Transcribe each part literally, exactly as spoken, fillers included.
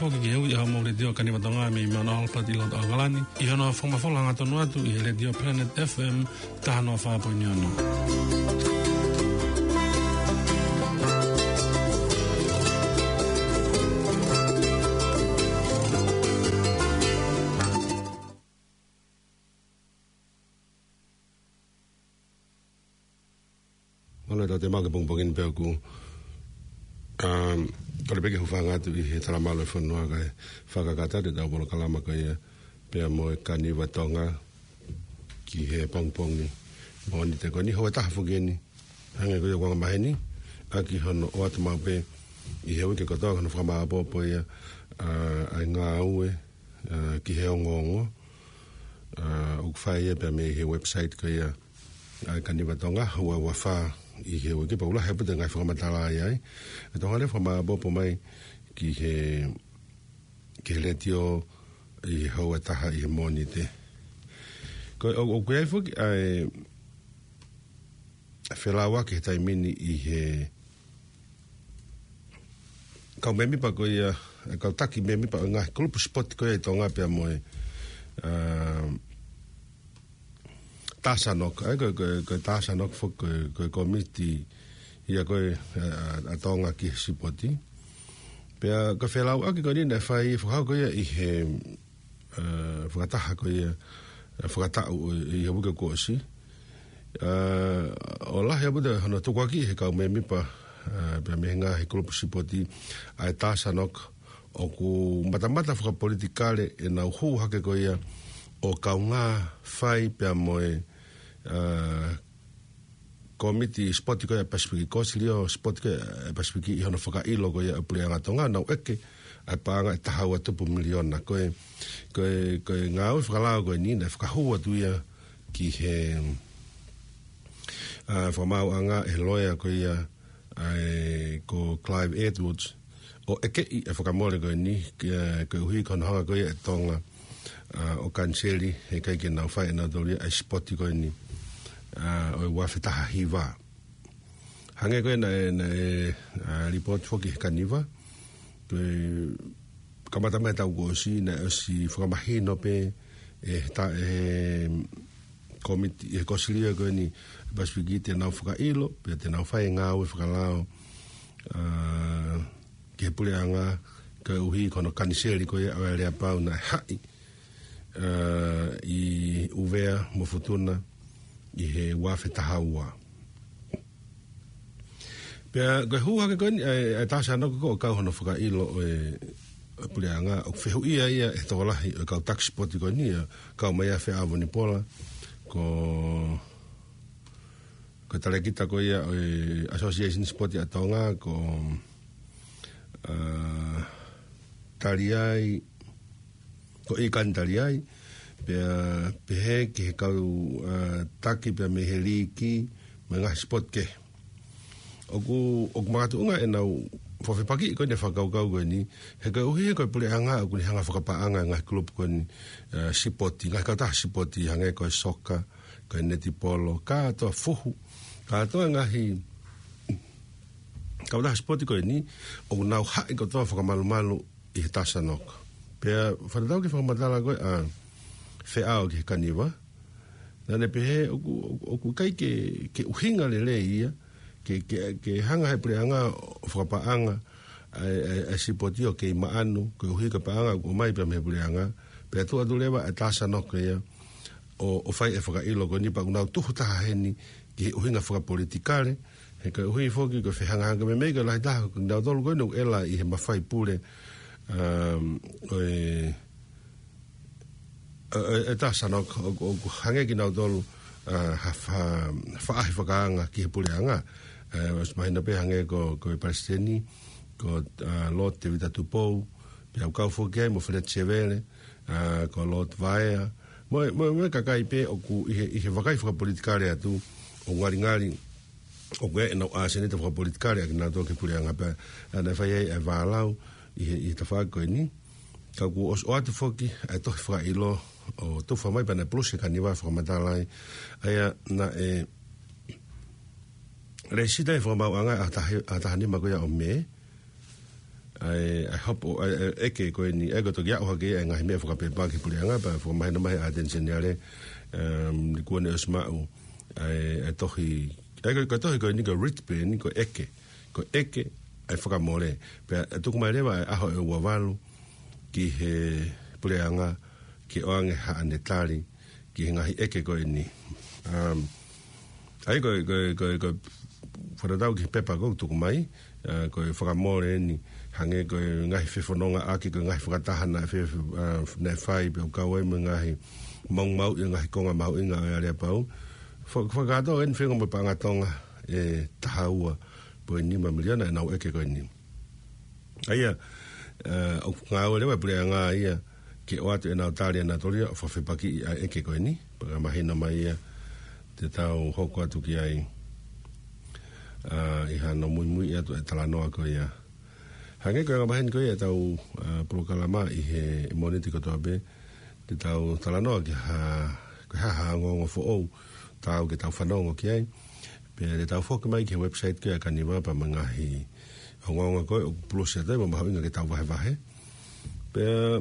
Foki ki he ui ʻa hoʻomou Letiō Kaniva Tonga mei Mount Albert ʻi loto ʻAokalani, ʻi hono fakamafola hangatonu atu ʻi he Letiō Planet F M taha noa fā poini ono. Mālō e tau te mau ke pongipongi ni pea ʻoku, um, kole pē ke u hūfanga atu ʻi he talamalu e fonua kae fakakakato atu e tau polokalama ko ia pea mo e Kaniva Tonga ki he pongipongi Mōnite ko eni, houa ʻe taha foki eni. Hangē ko ia ʻoku anga maheni, ʻaki hono ʻoatu maʻu pē ʻi he uike kotoa hono fakamāʻopoʻopo ia, uh, ʻa e ngāue, uh, ki he ongoongo, uh, ʻoku fai ia pea mei he website ko ia ʻa e Kaniva Tonga, ua ua fā ʻi he uike, pea ʻoku lahi ʻaupito e ngaahi fakamatala ai ai. ʻE Tonga leva fakamāʻopoʻopo mai ki he, ki he Letiō ʻi he houa ʻe taha ʻi he Mōnite. Ko e, ʻo, ʻoku ʻi ai foki ʻa e felauʻaki he taimi ni ʻi he kau mēmipa ko ia, e kau taki mēmipa ʻo e ngaahi kulupu sipoti ko ia ʻi Tonga pea mo e, uh, TASANOC, ʻa ia ko e, ko e, ko e TASANOC foki ko e, ko e kōmiti ia ko ē, uh, ʻa Tonga ki he sipoti. Pea ko e felauʻaki ko eni naʻe fai fakahoko ia ʻi he, uh, fakataha ko ia, uh, fakataʻu ʻo, ʻi he uike kuo ʻosi. Uh, ʻo lahi ʻaupito hono tukuakiʻi he kau mēmipa, uh, pea mei he ngaahi kulupu sipoti ʻa e TASANOC, ʻoku matamata fakapolitikale ʻenau hū hake ko ia ʻo kaungā fai pea mo e, uh, kōmiti sipoti ko ia ʻa e Pasifiki, Kōsilio sipoti ko ia ʻa e Pasifiki ʻi hono fakaʻilo ko ia ʻa e puleʻanga Tonga, nau ʻeke ʻa e paʻanga ʻe taha ua tupu miliona. Ko e, ko e, ko e ngāue fakalao ko eni naʻe fakahū atu ia ki he, uh, fakamaauʻanga ʻe he loea ko ia, ʻa e ko Clive Edwards, ʻo ʻekeʻi e fakamole ko eni, ke, koeʻuhi ko hono hanga ko ia ʻe Tonga, uh, ʻo kaniseli, heʻikai ke nau fai ʻe nautolu ia ʻa e sipoti ko eni, uh, ʻo e ua afe taha hiva. Hangē ko ia naʻe, naʻe, uh, lipooti foki he Kaniva, ko e kamata mai taʻu kuo ʻosi, naʻe ʻosi fakamahino pē ʻe he ta-, ʻe he kōmiti, ʻe he Kōsilio ko eni Pasifiki te nau fakaʻilo, pea te nau fai e ngāue fakalao, uh, ki he puleʻanga, koeʻuhi ko hono kaniseli ko ia ʻo e aleapau naʻe haʻi, uh, ʻi ʻUvea mo Futuna ʻi he ua afe taha ua. Pea ko e hū hake ko eni ʻa e, ʻa e TASANOC ko ē ʻo kau hono fakaʻilo ʻo e, ʻo e puleʻanga, ʻoku fehuʻia ia ʻe he tokolahi ʻo e kau taki sipoti ko eni, ʻa e kau mai ʻa Feʻao Vunipola, ko, ko e talēkita ko ia ʻo e Association Sipoti ʻa Tonga, ko, uh, Taliai, ko ʻIkani Taliai, pea pehē ki he kau, uh, taki pea mei he liiki, mo e ngaahi sipoti kehe. ʻOku, ʻoku makatuʻunga ʻenau fakafepakiʻi ko eni e fakakaukau ko eni, he koeʻuhi he ko e puleʻanga ʻoku ne hanga fakapaʻanga e ngaahi kulupu ko eni, uh, sipoti, ngaahi kautaha sipoti hangē ko e soka, ko e netipolo, kātoa, fuhu, kātoa e ngaahi kautaha sipoti ko eni, ʻoku nau haʻi kotoa fakamalumalu ʻi he TASANOC. Pea fakatatau ki he fakamatala ko ē ʻa Feʻao ki he Kaniva, naʻa ne pehē ʻoku, ʻoku, ʻoku ʻikai ke, ke ʻuhinga lelei ia, ke, ke, ke hanga he puleʻanga ʻo fakapaʻanga ʻa e, ʻa e, ʻa e sipoti ʻo kei maʻanu, koeʻuhi ko e paʻanga ʻoku ʻomai pē mei he puleʻanga, pea tuʻu atu leva e TASANOC ia ʻo, ʻo fai e fakaʻilo ko eni pea ʻoku nau tuhu taha heni ki he ʻuhinga fakapolitikale, he koeʻuhi foki ko e fehangahanga meimei ko e lahi taha ko kinautolu ko eni ʻoku ʻela ʻi he mafai pule, um, ʻo e, ʻo e, ʻo e TASANOC, ʻo, ʻoku hangē kinautolu, uh, ha fa-, faʻahi fakaanga ki he puleʻanga. Uh, ʻosi mahino pē hangē ko, ko e palesiteni, ko, uh, Lord Tevita Tupou, pea ʻoku kau foki ai mo Feleti Sevele, uh, ko Lord Vaea, mo, mo, mo e kakai pē ʻoku ʻi he, ʻi he vakai fakapolitikale atu, ʻoku ngalingali ʻoku ʻi ai ʻenau ʻasenita fakapolitikale ʻa kinautolu ki he puleʻanga pea, uh, naʻe fai ai e vālau ʻi he, ʻi he tafaʻaki ko eni. Ka kuo ʻosi ʻoatu foki ʻa e tohi fakaʻilo ʻo tufa mai pea naʻe pulusi ʻe he Kaniva fakamatala ai, ʻa ia naʻe lēsisita he fakamaauʻanga ʻaho taha, ʻaho taha nima ko ia ʻo Mē, ʻa e, ʻa e hopo, ʻa e, ʻa e ʻeke ko eni, ʻa ia ko e toki aʻu hake ʻa e ngaahi meʻa fakapepaki puleʻanga, pea fakamahino mai ʻe he ʻAteni Seniale, um, ni kuo ne ʻosi maʻu ʻa e, ʻa e tohi, ʻa ia ko e, ko e tohi ko eni ko e writ pē eni, ko e ʻeke, ko e ʻeke ʻa e fakamole. Pea ʻe tuku mai leva ʻa e ʻaho ʻe ua valu ki he puleʻanga ke ʻoange haʻane tali ki he ngaahi ʻeke ko eni. Um, ʻa ia ko e, ko e, ko e, ko e fakatatau ki he pepa ko ē ʻoku tuku mai, ʻa, ko e fakamole eni, hangē ko e ngaahi fefonongaʻaki, ko e ngaahi fakataha naʻe fe-, ʻa, naʻe fai pea ʻoku kau ai mo e ngaahi maumauʻi ʻo e ngaahi konga mahuʻinga ʻo e aleapau. Fa-, fakakātoa eni feinga mo e paʻanga Tonga ʻe taha ua poini nima miliona ʻenau ʻeke ko eni. ʻA ia, ʻa, ʻoku ngāue leva e puleʻanga ia ke ʻoatu ʻenau tali ʻa nautolu ia ʻo fakafepakiʻi ʻa e ʻeke ko eni, pea ka mahino mai ia te tau hoko atu ki ai, ʻa, ʻi hano muimui atu e talanoa ko ia. Hangē ko e anga maheni ko ia ʻetau, ʻa, polokalama ʻi he Mōnite kotoa pē, te tau talanoa ki ha, ko e hā ha ongoongo foʻou, taau ke tau fanongo ki ai. Pea te tau foki mai ki he website ko ia ʻa Kaniva pea mo e ngaahi ongoongo ko ē ʻoku pulusi atu ai mo mahuʻinga ke tau vahevahe. Pea,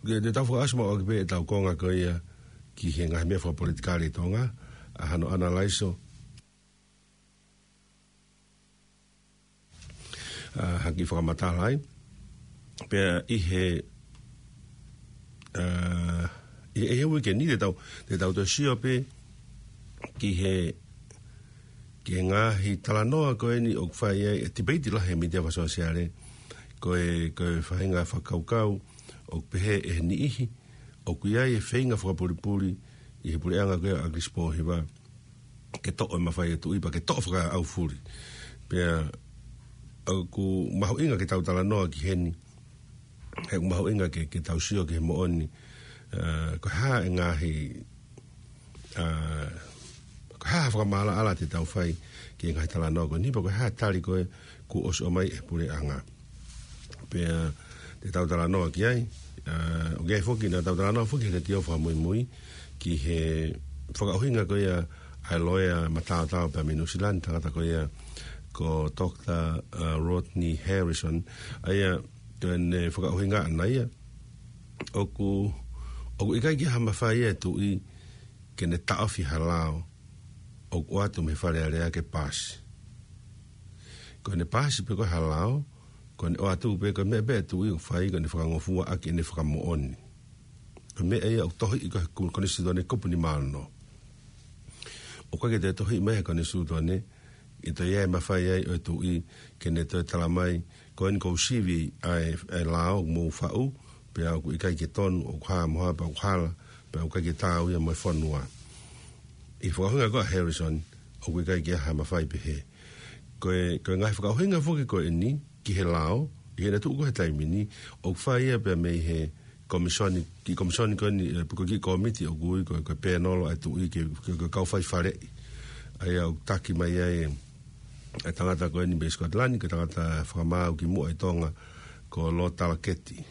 ke te tau fakaʻosi maʻu ʻaki pē ʻetau konga ko ia ki he ngaahi meʻa fakapolitikale ʻi Tonga, ʻa hano ʻanalaiso, ʻa, ha kiʻi fakamatala ai. Pea ʻi he, ʻa, ʻi he, ʻi he uike ni te tau, te tau toe sio pē ki he, ki he ngaahi talanoa ko eni ʻoku fai ai e tipeiti lahi he mītia fakasōsiale, ko e, ko e faʻahinga fakakaukau ʻoku pehē ʻe he niʻihi ʻoku ʻi ai e feinga fakapulipuli ʻi he puleʻanga ko ia ʻa ʻAkilisi Pōhiva ke toʻo e mafai ʻa e tuʻi pea ke toʻo fakaʻaufuli. Pea ʻoku mahuʻinga ke tau talanoa ki heni, he ʻoku mahuʻinga ke, ke tau sio ki he moʻoni, ʻa, ko e hā e ngaahi, ʻa, ko e hā ha fakamaʻalaʻala te tau fai ki he ngaahi talanoa ko eni, pea ko e hā e tali ko ē kuo ʻosi ʻomai ʻe he puleʻanga. Pea te tau talanoa ki ai, ʻa, ʻoku ʻi ai foki, naʻa tau talanoa foki he leitiō fakamuimui ki he fakaʻuhinga ko ia ʻa e loea mataotao pea mei Nuʻusila ni, tangata ko ia ko Doctor, ʻa, Rodney Harrison, ʻa ia ko ʻene fakaʻuhinga ʻana ia, ʻoku, ʻoku ʻikai ke ʻi ai ha mafai ʻa e tuʻi ke ne taʻofi ha lao ʻoku ʻoatu mei he Fale Alea ke paasi. Ko ʻene paasi pē ko ē ha lao, ko ʻene ʻoatu pē ko e meʻa pē ʻa e tuʻi ʻoku fai ko ʻene fakangofua ʻaki ʻene fakamoʻoni. Ko e meʻa ia ʻoku tohiʻi ko ē he ku-, konisitūtone kupu nima ono. ʻOku ʻikai ke toe tohiʻi mai he konisitūtone ʻe toe ʻi ai e mafai ai ʻo e tuʻi ke ne toe tala mai, ko eni ʻoku ou sivi ʻa e, ʻa e lao ʻoku mou faʻu, pea ʻoku ʻikai ke tonu, ʻoku hā mo hā pea ʻoku hala, pea ʻoku ʻikai ke taau ia mo e fonua. ʻI he fakaʻuhinga ko ē ʻa Harrison, ʻoku ʻikai ke ʻi ai ha mafai pehē. Ko e, ko e ngaahi fakaʻuhinga foki ko eni ki he lao, ʻi heʻene tuʻu ko ē he taimi ni, ʻoku fai ia pea mei he komisoni, kiʻi komisoni ko eni, ʻe, pe ko e kiʻi kōmiti ʻoku ui ko e, ko e pēnolo ʻa e tuʻi ke, ke, ke kau fai faleʻi. ʻA ia ʻoku taki mai ai ʻa e tangata ko eni mei Scotland, ko e tangata fakamaau kimuʻa ʻi Tonga, ko Lord Talaketi.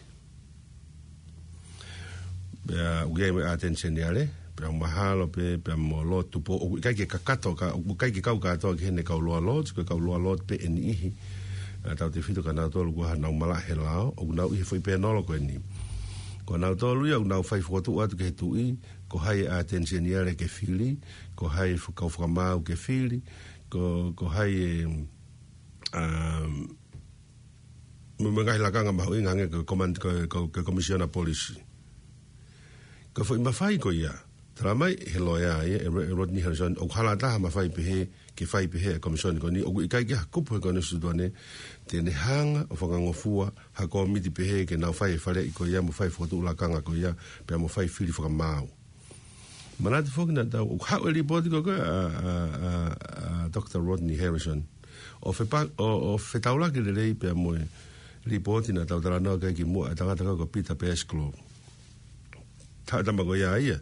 Pea ʻoku ʻi ai mo e ʻAteni Seniale, pea mahalo pē, pea mo Lord Tupou, ʻoku ʻikai ke kakato, ka, ʻoku ʻikai ke kau kātoa ki heʻene kau Lower Lords, ko e kau Lower Lord pē ʻe niʻihi, ʻa, tautefito kia nautolu ko ē ʻoku nau malaʻe he lao, ʻoku nau ʻi he foʻi pēnolo ko eni. Ko nautolu ia ʻoku nau fai fokotuʻu atu ki he tuʻi, ko hai e ʻAteni Seniale ke fili, ko hai e faka-, kau fakamaau ke fili, ko, ko hai e, um, mo, mo e ngaahi lakanga mahuʻinga hangē ko e koman-, ko, ko, ko e komisiona polisi. Ko e foʻi mafai ko ia, tala mai he loea ia, ʻe, ʻe Rodney Harrison, ʻoku hala ʻatā ha mafai pehē, ke fai pehē ʻe he komisoni ko eni, ʻoku ʻikai ke ʻi ai ha kupu he konisitūtone te ne hanga ʻo fakangofua ha kōmiti pehē ke nau fai e faleʻi ko ia mo fai e fokotuʻu lakanga ko ia, pea mo fai fili fakamaau. Manatu foki naʻa tau, ʻoku haʻu e lipooti ko ē ʻa, ʻa, ʻa, ʻa Doctor Rodney Harrison ʻo fepa-, ʻo, ʻo fetaulaki lelei pea mo e lipooti naʻa tau talanoa ki ai kimuʻa, ʻa e tangata ko ē ko Peter Pasclough. Haʻu e tama ko ia ia.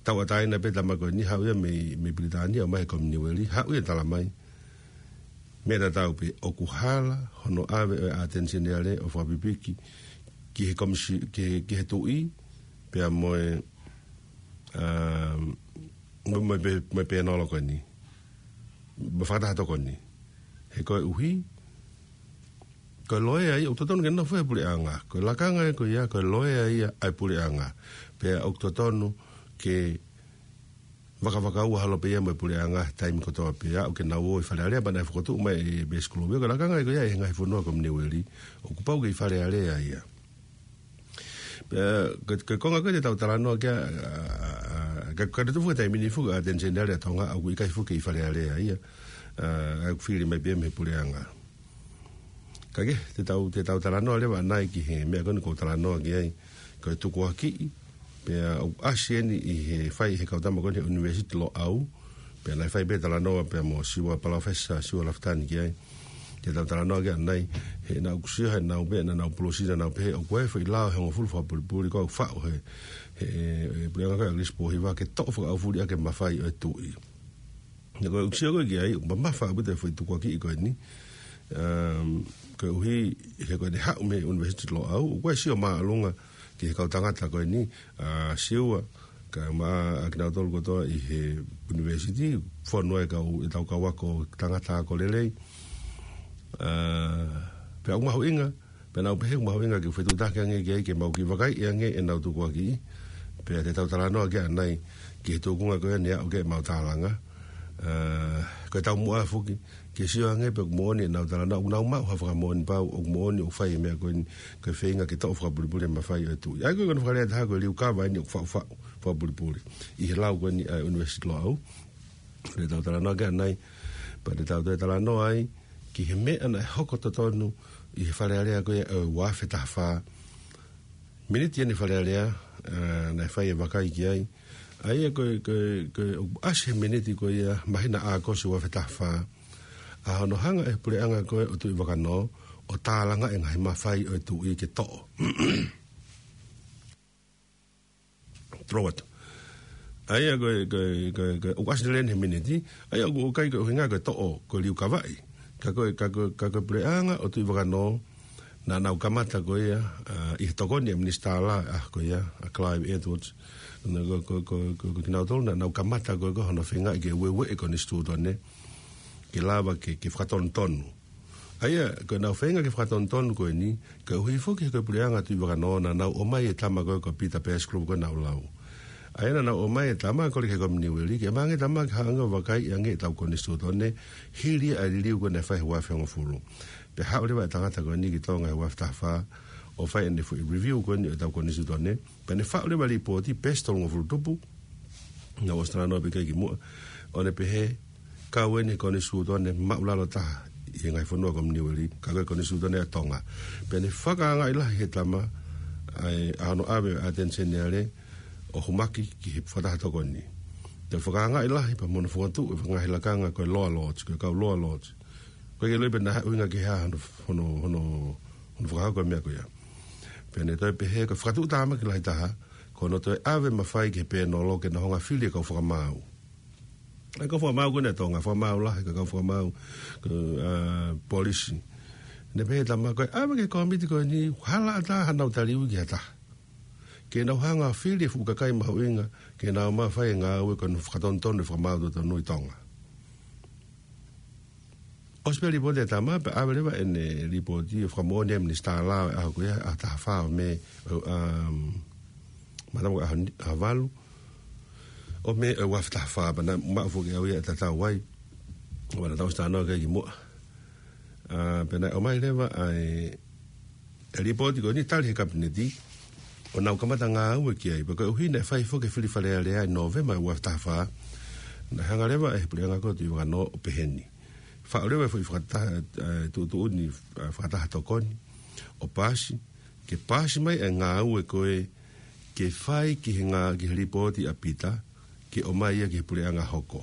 Tauʻatāina pē tama ko eni, haʻu ia mei, mei Pilitānia, ʻomai he Kominiueli, haʻu ia ʻo tala mai. Meʻa tatau pē, ʻoku hala hono ʻave ʻo e ʻAteni Seniale ʻo fakapipiki ki he komisi-, ki he, ki he tuʻi, pea mo e, um, mo, mo e pē-, mo e pēnolo ko eni. Mo e fakataha tokoni. He koeʻuhi, Ko e loea ia, ʻoku totonu ke nofo he puleʻanga. Ko e lakanga ia ko ia, ko e loea ia ʻa e puleʻanga. Pea ʻoku totonu ke vakavakaua holo pē ia mo e puleʻanga he taimi kotoa pē, ʻo aʻu ke nau ō ʻi Fale Alea, pea naʻe fokotuʻu mai ʻe Besikulovi ia ko e lakanga ia ko ia ʻi he ngaahi fonua komuniueli. ʻOku pau ke ʻi Fale Alea ia. Pea, ko, ko e konga ko ē te tau talanoa ki ai, ʻa, ʻa, ʻa, ka, ka te tufu he taimi ni foki ʻa e ʻAteni Seniale ʻa Tonga, ʻoku ʻikai foki ʻi Fale Alea ia, ʻa, ʻoku fili mai pē ia mei he puleʻanga. Ka ke, te tau, te tau talanoa leva ʻanai ki he meʻa ko eni ʻoku ou talanoa ki ai, ko e tukuakiʻi, pea ʻoku ʻasi eni ʻi he fai ʻe he kau tama ko eni he ʻUnivēsiti Loʻau, pea naʻe fai pē talanoa pea mo Siua Palōfesa, Siua Lafitani ki ai, te tau talanoa ki ai ʻanai, he naʻa ku sio he naʻa nau pehē, naʻa nau pulosina naʻa nau pehē, ʻoku ʻi ai e foʻi lao ʻe hongofulu fakapulipuli, ko e faʻu he, he, he, he puleʻanga ko ē ʻa ʻAkilisi Pōhiva ke toʻo fakaʻaufuli ʻaki e mafai ʻo e tuʻi. Naʻa ko e ʻuhinga ko ē ki ai, ʻoku mamafa ʻaupito e foʻi tukuakiʻi ko eni. Um, koeʻuhi, he ko ʻene haʻu mei he ʻUnivēsiti Loʻau, ʻoku ʻi ai e sio māʻolunga ki he kau tangata ko eni, ʻa Siua, kae ʻumaʻā kinautolu kotoa ʻi he ʻunivēsiti, fonu ai e kau, ʻetau kau ako tangata ako lelei. ʻA, pea ʻoku mahuʻinga, pea naʻa nau pehē ʻoku mahuʻinga ke fetuʻutaki ange ki ai ke mau kiʻi vakaiʻi ange ʻenau tukuakiʻi. Pea te tau talanoa ki ai ʻanai ki he tuʻunga ko ē naʻe aʻu ki ai ʻemau tālanga. ʻA, ko e taumuʻa foki, ke sio ange pe ʻoku moʻoni ʻenau talanoa, ʻoku nau maʻu ha fakamoʻoni pau, ʻoku moʻoni ʻoku fai e meʻa ko eni, ko e feinga ke toʻo fakapulipuli e mafai ʻo e tuʻi. ʻA ia ko e konga fakalea ʻe taha ko e liukava eni ʻoku faʻufaʻu fakapulipuli. ʻI he lau ko eni ʻa e ʻUnivēsiti Loʻau. Te tau talanoa ki ai ʻanai, pea te tau toe talanoa ai, ki he meʻa naʻe hoko totonu ʻi he Fale Alea ko ia ʻo e ua afe taha fā. Miniti eni Fale Alea, ʻa, naʻe fai e vakai ki ai. ʻA ia ko e, ko e, ko e, ʻoku ʻasi he miniti ko ia māhina ʻAokosi ua afe taha fā. ʻA hono hanga ʻe he puleʻanga ko ē ʻo Tuʻivakanō, ʻo tālanga e ngaahi mafai ʻo e tuʻi ke toʻo. Toloi atu. ʻA ia ko e, ko e, ko e, ko e, ʻoku ʻasi lelei eni he miniti, ʻa ia ʻoku ʻikai ko e ʻuhinga ko e toʻo, ko e liukavaʻi. Ka ko e, ka ko e, ka ko e puleʻanga ʻo Tuʻivakanō, naʻa nau kamata ko ia, ʻa, ʻi he tokoni ʻa e Minisitā Lao, ʻa ko ia, ʻa Clive Edwards. Naʻa ko, ko, ko, ko, ko kinautolu, naʻa nau kamata ko e, ko hono feingaʻi ke ueue e konisitūtone, ke lava ke, ke fakatonutonu. ʻA ia, ko ʻenau feinga ke fakatonutonu ko eni, koeʻuhi foki he ko e puleʻanga Tuʻivakanō naʻa nau ʻomai e tama ko ē ko Pita Peasikulupu ko ʻenau lau. ʻA ia naʻa nau ʻomai e tama ko ē ki he kominiueli, ke ʻomai ange e tama ke hanga ʻo vakaiʻi ange ʻetau konisitūtone, hili ʻa e liliu ko ē naʻe fai he ua afe hongofulu. Pea haʻu leva e tangata ko eni ki Tonga he ua afe taha fā, ʻo fai ʻene foʻi review ko eni ʻo ʻetau konisitūtone, pea ne faʻu leva e lipooti, peesi tolungofulu tupu, naʻa ku ʻosi talanoa pē ki ai kimuʻa, ʻo ne pehē, kau eni e konisitūtone māʻulalo taha ʻi he ngaahi fonua kominiueli, ka ko e konisitūtone ʻa Tonga. Pea ne fakaangaʻi lahi he tama, ʻa e, ʻa hono ʻave ʻa e ʻAteni Seniale, ʻo homaki ki he fakataha tokoni. Toe fakaangaʻi lahi pea mo hono fokotuʻu e ngaahi lakanga ko e Lower Lords, ko e kau Lower Lords. Ko e ke loi pē naʻe ʻuhinga ki he hā hono, hono, hono, hono fakahoko e meʻa ko ia. Pea ne toe pehē ko e fakatuʻutāmaki lahi taha, ko hono toe ʻave mafai ki he pēnolo ke nau hanga ʻo fili e kau fakamaau. ʻA e kau fakamaau ko eni ʻa Tonga, fakamaau lahi, ko e kau fakamaau, ko e, ʻa, polisi. Ne pehē tama ko e ʻave ki he kōmiti ko eni, hala ʻatā hanau tali ui ki ha taha. Ke nau hanga ʻo fili e fuʻu kakai mahuʻinga, ke nau mafai e ngāue ko hono fakatonutonu e fakamaau totonu ʻi Tonga. ʻOsi pē lipooti e tama, pea ʻave leva ʻene lipooti ʻo fakamoʻoni ʻa e Minisitā Lao ʻi he ʻaho ko ia, ʻaho taha fā ʻo Mē, ʻo, um, mātama ko e ʻaho ni, ʻaho valu ʻo Mē ʻo e ua afe taha fā, pea naʻe maʻu foki ʻe au ia e tatau ai. ʻOua naʻa tau ʻosi talanoa ki ai kimuʻa. ʻA, pea naʻe ʻomai leva ʻa e e lipooti ko eni tali he Kapineti, ʻo nau kamata ngāue ki ai, pea koeʻuhi naʻe fai foki e fili Fale Alea ʻi Nōvema ua afe taha fā, naʻe hanga leva ʻe he puleʻanga ko ē Tuʻivakanō ʻo pehē ni. Faʻu leva e foʻi fakataha, e, tuʻutuʻuni, e, fakataha tokoni, ʻo paasi, ke paasi mai e ngāue ko ē, ke fai ki he ngā, ki he lipooti ʻa Pita, ke ʻomai ia ki he puleʻanga hoko.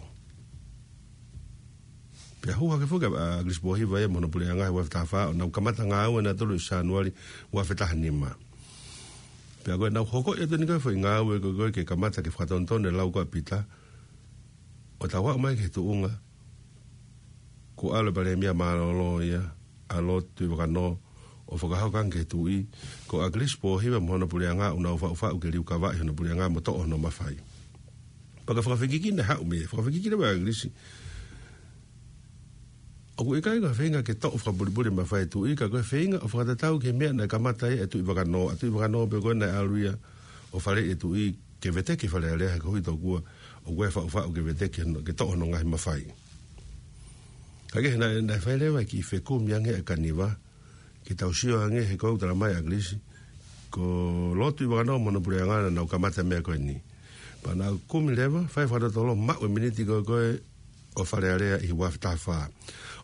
Pea hū hake foki ʻa, ʻa ʻAkilisi Pōhiva ia mo hono puleʻanga he ua afe taha fā, ʻo nau kamata ngāue nautolu ʻi Sānuali ua afe taha nima. Pea ko ʻenau hoko ia tonu ko e foʻi ngāue ko ē ko ē ke kamata ke fakatonutonu e lau ko ē ʻa Pita, ʻo tau aʻu mai ki he tuʻunga, kuo ʻalu e Palēmia mālōlō ia, ʻa Lord Tuʻivakanō, ʻo fakahoko ange ki he tuʻi, ko ʻAkilisi Pōhiva mo hono puleʻanga ʻoku nau faʻufaʻu ke liukavaʻi hono puleʻanga mo toʻo hono mafai. Pea ko e fakafekiki naʻe haʻu mei ai, fakafekiki leva ʻa ʻAkilisi. ʻOku ʻikai ko e feinga ke toʻo fakapulipuli e mafai e tuʻi, ka ko e feinga ʻo fakatatau ki he meʻa naʻe kamata ai e Tuʻi Vakanō. ʻA Tuʻi Vakanō pē ko ē naʻe ʻalu ia ʻo faleʻi e tuʻi ke veteki e Fale Alea he koeʻuhi tokua ʻoku ʻi ai e faʻufaʻu ke veteki hono, ke toʻo hono ngaahi mafai. Ka ke naʻe, naʻe fai leva e kiʻi fekumi ange ʻa Kaniva, ke tau sio ange he ko e talamai ʻa ʻAkilisi, ko Lord Tuʻi Vakanō mo hono puleʻanga naʻa nau kamata e meʻa ko eni. Pea naʻa ku kumi leva, fai fakalotolo, maʻu e miniti ko ē ko ē ʻo Fale Alea ʻi he ua afe taha fā.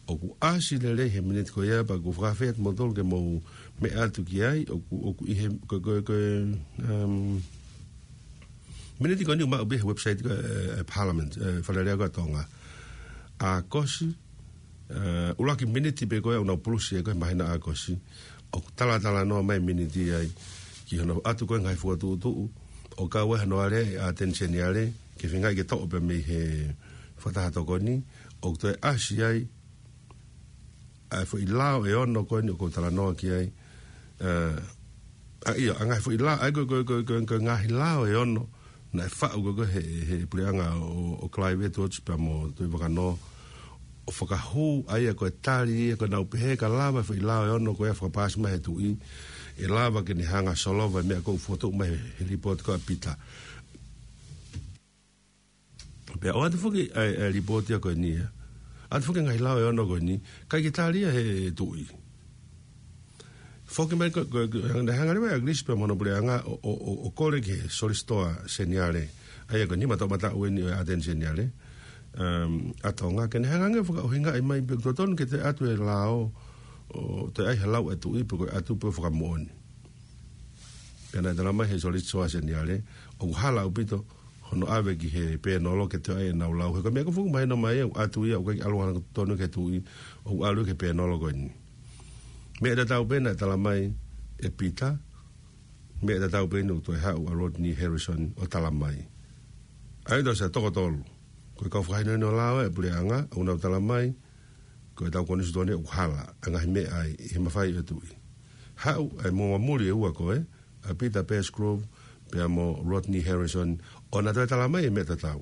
ʻOku ʻasi lelei he miniti ko ia, pea ʻoku ou fakaafeʻi atu moutolu ke mou meʻa atu ki ai, ʻoku, ʻoku ʻi he, ko, ko, ko, um, miniti ko eni ʻoku maʻu pē he website ko e, e Parliament, e Fale Alea ko ē ʻa Tonga. ʻAokosi, e, ʻuluaki miniti pē ko ē ʻoku nau pulusi ai ko ē he māhina ʻo ʻAokosi. ʻOku talatalanoa mai e miniti ai ki hono ʻoatu ko ē e ngaahi fokotuʻutuʻu, ʻo kau ai hono aleaʻi ʻa ʻAteni Seniale, ke feingaʻi ke toʻo pē mei he fakataha tokoni, ʻoku toe ʻasi ai ʻa e foʻi lao ʻe ono ko eni ʻoku ou talanoa ki ai. E, ʻa ia, ʻa e ngaahi foʻi lao, ʻa ia ko e, ko e, ko e, ko e, ko e ngaahi lao ʻe ono naʻe faʻu ko ē ko ē he, he puleʻanga ʻo, ʻo Clive Edwards pea mo Tuʻi Vakanō, ʻo fakahū ʻa ia ko e tali ia ko ē naʻa nau pehē ka lava e foʻi lao ʻe ono ko ia ʻo fakapaasi mai he tuʻi, ʻe lava ke ne hanga ʻo solova e meʻa ko ē ʻoku fokotuʻu mai he, he lipooti ko ē ʻa Pita. Pea ʻoatu foki ʻa e, ʻa e lipooti ia ko eni ia. ʻOatu foki e ngaahi lao ʻe ono ko eni, ʻikai ke tali ia he tuʻi. Foki mai ko, ko, ko, hanga, hanga leva ʻe ʻAkilisi pea mo hono puleʻanga ʻo, ʻo, ʻo, ʻo kole ki he Solisitō Seniale. ʻA ia ko e nima toʻomataʻu eni ʻo e ʻAteni Seniale, um, ʻa Tonga, ke ne hanga ange ʻo fakaʻuhingaʻi mai pe ʻoku totonu ke toe ʻatu e lao, ʻo toe ʻai ha lau ʻa e tuʻi pe ko e ʻatu pē ʻo fakamoʻoni. Pea naʻe talamai ʻe he Solisitō Seniale, ʻoku hala ʻaupito hono ʻave ki he pēnolo ke toe ʻai ʻenau lau. He ko e meʻa ko ē ʻoku fuʻu mahino mai, ʻoku ʻatu ia, ʻoku ʻikai ke ʻalu ʻo hanga ʻo tonu ki he tuʻi, ʻoku ʻalu ki he pēnolo ko eni. Meʻa tatau pē naʻe talamai ʻe Pita, meʻa tatau pē eni ʻoku toe haʻu ʻa Rodney Harrison ʻo talamai. ʻA ia tau sio toko tolu. Ko e kau fakahinohino lao ʻa e puleʻanga, ʻoku nau talamai, ko ʻetau konisitūtone ʻoku hala ʻa e ngaahi meʻa ʻi he mafai ʻo e tuʻi. Haʻu ʻa e muamuli ʻe ua ko ē, ʻa Peter Pettigrove pea mo Rodney Harrison, ʻo na toe talamai e meʻa tatau.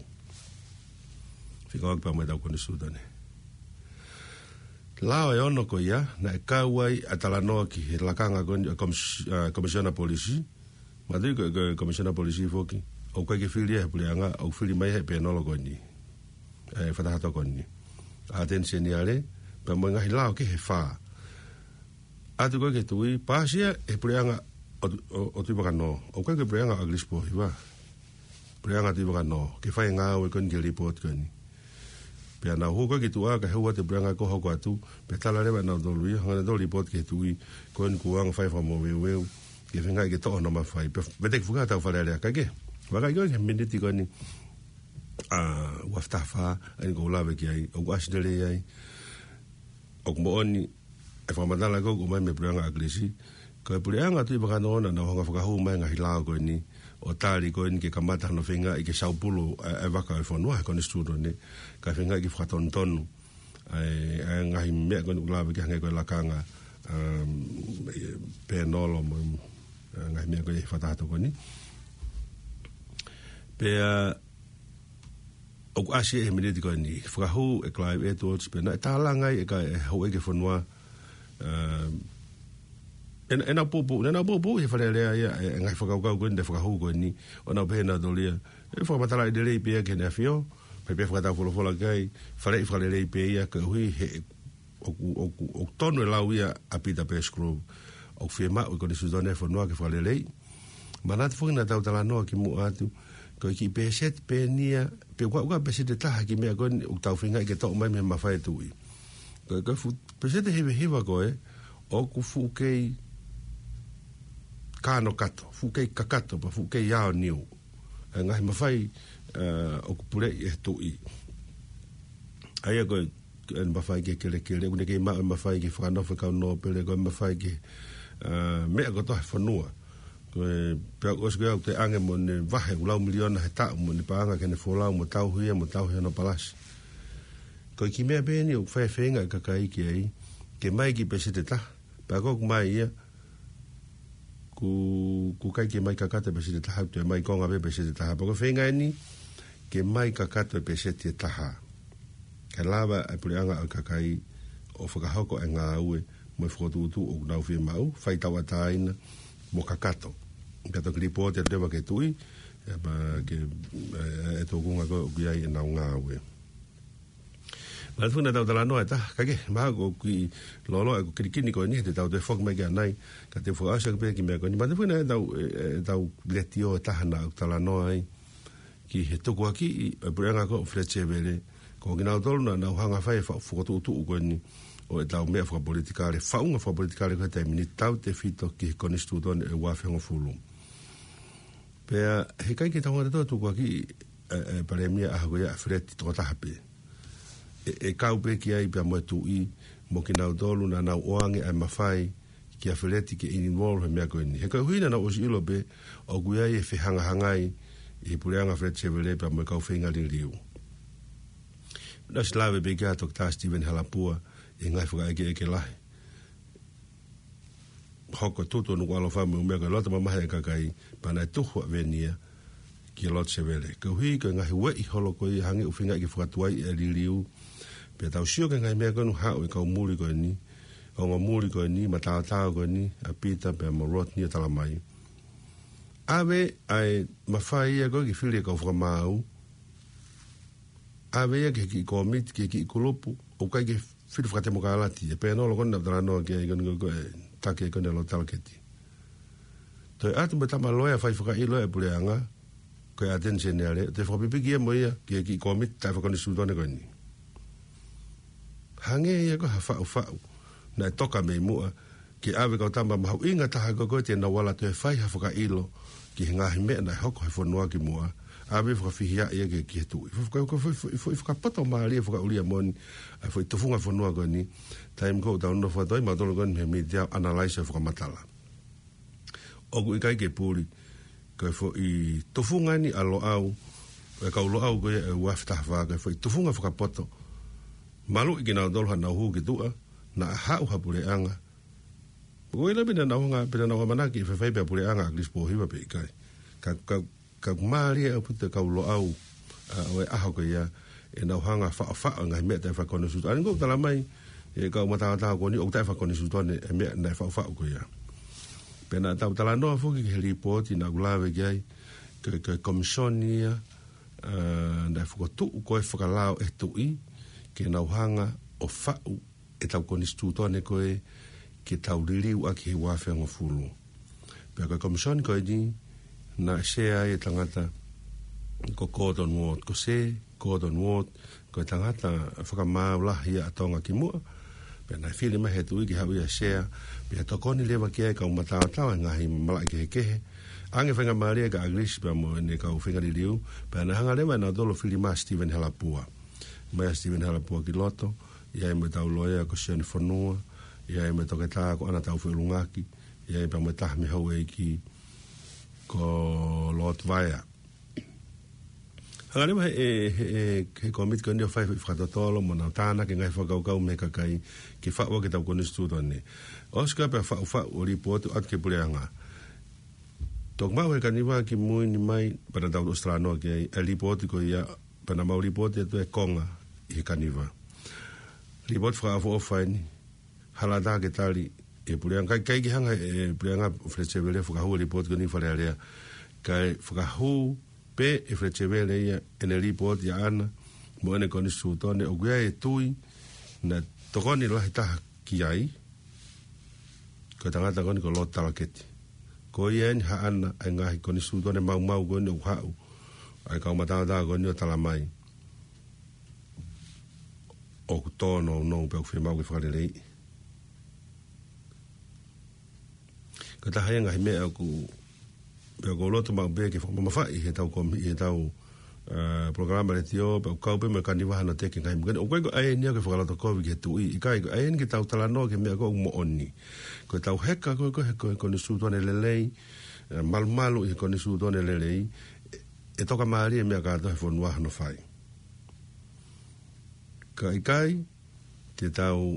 Fekauʻaki pea mo ʻetau konisitūtone. Lao ʻe ono ko ia, naʻe kau ai ʻa e talanoa ki he lakanga ko eni ʻo e komis-, ʻa e Komisiona Polisi, Mātuʻaki ko e, ko e Komisiona Polisi foki, ʻoku ʻikai ke fili ia he puleʻanga, ʻoku fili mai he pēnolo ko eni. ʻA e fakataha tokoni. ʻAteni Seniale, pea mo e ngaahi lao kehe ʻe fā. ʻAtu ko ē ki he tuʻi, paasi ia he puleʻanga ʻo, ʻo, ʻo Tuʻi Vakanō. ʻOku ʻikai ko e puleʻanga ʻo ʻAkilisi Pōhiva. Puleʻanga Tuʻi Vakanō, ke fai e ngāue ko eni ki he lipooti ko eni. Pea nau hū ko ē ki tuʻa, kae hū atu e puleʻanga ko ē hoko atu, pea tala leva ʻe nautolu ia, hanga ʻe nautolu ʻo lipooti ki he tuʻi, ko eni kuo anga fai fakamoveuveu, ke feingaʻi ke toʻo hono mafai, pea veteki fuka atu ʻa Fale Alea, kae kehe. Vakai ko ē ki he miniti ko eni, ʻa, ua afe taha fā, ʻa eni ʻoku ou lave ki ai, ʻoku ʻasi lelei ai, ʻoku moʻoni, e fakamatala ko ē ʻoku ʻomai mei he puleʻanga ʻAkilisi, ko e puleʻanga Tuʻi Vakanō naʻa nau hanga ʻo fakahū mai e ngaahi lao ko eni, ʻo tali ko eni ke kamata hono feingaʻi ke saupulu ʻa e, ʻa e vaka ʻo e fonua he konisitūtone, kae feingaʻi ke fakatonutonu ʻa e, ʻa e ngaahi meʻa ko eni ʻoku lave ki ai hangē ko e lakanga, um, pēnolo mo, ʻa e ngaahi meʻa ko ē he fakataha tokoni. Pea, ʻoku ʻasi ia he miniti ko eni, fakahū ʻe Clive Edwards, pea naʻe tālanga ai ʻe he kau houʻeiki ʻo e fonua, um, ʻe, ʻenau poupou, ʻenau poupou he Fale Alea ia, e, e ngaahi fakakaukau ko eni, ʻa e fakahū ko eni, ʻo nau pehē ʻe nautolu ia, ʻe fakamatalaʻi lelei pē ia ki Heʻene ʻAfio, pea pehē fakataufolofola ki ai, faleʻi fakalelei pē ia, koeʻuhi he ʻoku, ʻoku, ʻoku tonu e lau ia ʻa Peter Pettigrove, ʻoku fiemaʻu e konisitūtone ʻo e fonua ke fakaleleiʻi. Manatu foki naʻa tau talanoa kimuʻa atu, ko e kiʻi pēseti pē eni ia, pe ʻoku ʻikai ko ha pēseti ʻe taha e kiʻi meʻa ko eni ʻoku tau feingaʻi ke toʻo mai mei he mafai e tuʻi. Ko e, ko e fuʻu pēseti ʻe hivahiva ko ē, ʻoku fuʻu kei kanokato, fuʻu kei kakato, pea fuʻu kei aoniu ʻa e ngaahi mafai, ʻa, ʻoku puleʻi ʻe he tuʻi. ʻA ia ko e, ʻene mafai ke kelekele, ʻoku ne kei maʻu e mafai ke fakanofo e kau nōpele, ko e mafai ke, ʻa, meʻa kotoa he fonua. Ko e, pea ʻosi ko ia ʻoku toe ʻange mo ʻene vahe ʻū lau miliona he taʻu mo ʻene paʻanga ki heʻene folau mo tauhi ia mo tauhi hono palasi. Ko e kiʻi meʻa pē eni ʻoku fai e feinga ʻa e kakai ki ai, ke ʻomai e kiʻi pēseti ʻe taha, pea ko ʻeku ʻomai ia, ʻoku, ʻoku ʻikai ke ʻomai kakato e pēseti ʻe taha, ʻoku toe ʻomai konga pē pēseti ʻe taha. Pea ko e feinga eni, ke ʻomai kakato e pēseti ʻe taha. Kae lava e puleʻanga ʻo e kakai ʻo fakahoko e ngāue mo e fokotuʻutuʻu ʻoku nau fiemaʻu, fai tauʻatāina mo kakato. Ka toki lipooti atu leva ki he Tuʻi, ʻe pā ke, ʻe, ʻe tōkunga ko ē ʻoku ʻi ai ʻenau ngāue. Manatuʻi naʻa tau talanoa ʻe taha, kae kehe, mahalo ko e kiʻi lōloa ʻeku kilikini ko eni, te tau toe foki mai ki ai ʻanai, ka te u fakaʻosi ʻaki pē kiʻi meʻa ko eni. Manatuʻi naʻa tau, ʻe, ʻe, tau letiō ʻe taha naʻa ku talanoa ai, ki he tukuakiʻi ʻa e puleʻanga ko ē ʻo Fletcher Vele, ko kinautolu naʻa nau hanga ʻo fai e fa-, fokotuʻutuʻu ko eni ʻo ʻetau meʻa fakapolitikale, faʻunga fakapolitikale ko ē he taimi ni, tautefito ki he konisitūtone ʻo e ua afe hongofulu. Pea, heʻikai ke tau hanga ʻo tukuakiʻi e, e, palēmia ʻaho ko ia ʻa Feleti tokotaha pē. ʻE, ʻe kau pē ki ai pea mo e Tuʻi, mo kinautolu naʻa nau ʻoange ʻa e mafai kia Feleti ke involve he meʻa ko eni. He koeʻuhi naʻa nau ʻosi ʻilo pē, ʻoku ʻi ai e fehangahangai ʻi he puleʻanga Fletcher Vele pea mo e kau feinga liliu. Naʻe ʻosi lave pē ki ai ʻa Toketā Steven Halapua, ʻi he ngaahi fakaʻekeʻeke lahi. Hoko tutu ʻo Nukuʻalofa mo e meʻa ko e loto mamahi e kakai, pea naʻe tuhu ʻa Venia ki he lotu Sevele. Koeʻuhi ko e ngaahi ueʻi holo ko ia hangē ʻoku feinga ke fakatuai e liliu. Pea tau sio ki he ngaahi meʻa ko eni ʻoku haʻu ʻi he kau muli ko eni, ongo muli ko eni, mataotao ko eni, ʻa Pita pea mo Rodney ʻo talamai. ʻAve ʻa e mafai ia ko ē ke fili e kau fakamaau, ʻave ia ki he kiʻi kōmiti, ki he kiʻi kulupu, ʻoku ʻikai ke fili fakatemokālati, e pēnolo ko eni naʻa ku talanoa ki ai ko eni ko e taki ko eni ʻa Lotu Talaketi. Toe ʻatu mo e tama loea fai fakaʻilo e puleʻanga, ko e ʻAteni Seniale, toe fakapipiki ia mo ia, ki he kiʻi kōmiti taʻefakakonisitūtone ko eni. Hangē ia ko ha faʻufaʻu, naʻe toka mei muʻa, ke ʻave kau tama mahuʻinga taha ko ē ko ē te nau ala toe fai ha fakaʻilo ki he ngaahi meʻa naʻe hoko he fonua kimuʻa, ʻave fakafihiaʻi ia ki, ki he Tuʻi. Faka-, faka-, faka-, faka-, fakapoto mālie fakaʻulia moʻoni, ʻa e foʻi tufunga fonua ko eni, taimi ko ē ʻoku tau nofo atu ai, mautolu ko eni he mītia ʻo analyze ʻo fakamatala. ʻOku ʻikai ke puli, ko e foʻi tufunga eni ʻa Loʻau, e kau Loʻau ko ia ʻe ua afe taha fā, ko e foʻi tufunga fakapoto, maluʻi kinautolu haʻanau hū ki tuʻa, naʻa haʻu ha puleʻanga, Ko e ʻilo pē naʻa nau hanga, pē naʻa nau ʻamanaki ʻe faifai pē ʻa e puleʻanga ʻa ʻAkilisi Pōhiva pe ʻikai. Ka, ka, ka mālie ʻaupito e kau Loʻau, ʻa, ʻo e ʻaho ko ia, ʻenau hanga faʻofaʻo e ngaahi meʻa taʻefakakonisitūtone. ʻA ia ko ʻeku talamai, ʻe kau mataotao ko eni, ʻoku taʻefakakonisitūtone e meʻa naʻe faʻofaʻo ko ia. Pea naʻa tau talanoa foki ki he lipooti naʻa ku lave ki ai, ko e, ko e komisoni ia, ʻa, naʻe fokotuʻu ko ē fakalao ʻe he Tuʻi, ke nau hanga ʻo faʻu ʻetau konisitūtone ko ē ke tau liliu ʻaki he ua afe hongofulu. Pea ko e komisoni ko eni, naʻe sea ai e tangata ko Gordon Ward, ko Sir Gordon Ward, ko e tangata fakamaau lahi ia ʻa Tonga kimuʻa. Pea naʻe fili mai he Tuʻi ke haʻu ia ʻo sea, pea tokoni leva ki ai e kau mataotao he ngaahi malaʻe kehekehe. ʻAnge faingamālie kia ʻAkilisi pea mo ʻene kau feinga liliu, pea naʻe hanga leva ʻe nautolu ʻo fili mai ʻa Steven Halapua. Mai ʻa Steven Halapua ki loto, ʻi ai mo ʻetau loea ko Sione Fonua, ʻi ai mo e toketā ko ʻAna Taufeʻulungaki, ʻi ai pea mo e taha mei he houʻeiki ko Lord Vaea. Hanga leva he, he, he, he kōmiti ko eni ʻo fai fakatotolo mo nau tānaki e ngaahi fakakaukau mei he kakai ke faʻu ʻaki ʻetau konisitūtone. ʻOsi ko ia pea faʻufaʻu ʻo lipooti atu ki he puleʻanga. Toki maʻu he Kaniva kimui ni mai, pea naʻa tau ʻosi talanoa ki ai, e lipooti ko ia, pea naʻa mau lipooti atu e konga ʻi he Kaniva. Lipooti fakaʻofoʻofa eni, hala ʻatā ke tali ʻe he puleʻanga, ʻikai, ʻikai ke hanga ʻe he puleʻanga ʻo Fletcher Vele ʻo fakahū e lipooti ko eni ki Fale Alea. Kae fakahū pē ʻe Fletcher Vele ia ʻene lipooti ʻaʻana mo ʻene konisitūtone, ʻoku ʻi ai e tui naʻe tokoni lahi taha ki ai, ko e tangata ko eni ko Lord Talaketi. Ko ia eni haʻana e ngaahi konisitūtone maumau ko eni ʻoku haʻu, ʻa e kau mataotao ko eni ʻo talamai ʻoku tōnounou pea ʻoku fiemaʻu ke fakaleleiʻi. Ko e taha ia e ngaahi meʻa ʻoku, pea ʻoku ou loto maʻu pē ke fakamamafaʻi heʻetau komi-, heʻetau, ʻa, polokalama letiō, pea ʻoku kau pē mo e Kaniva hano teke ngaahi meʻa ko eni. ʻOku ʻikai ko e ʻai eni ia ke fakalotokovi ki he Tuʻi, ʻikai, ko e ʻai eni ke tau talanoa ki he meʻa ko ē ʻoku moʻoni. Ko ʻetau heka ko ē, ko e, ko e konisitūtone lelei, ʻa, malumalu ʻi he konisitūtone lelei, ʻe, ʻe tokamālie e meʻa kātoa he fonua hono fai. Ka ʻikai, te tau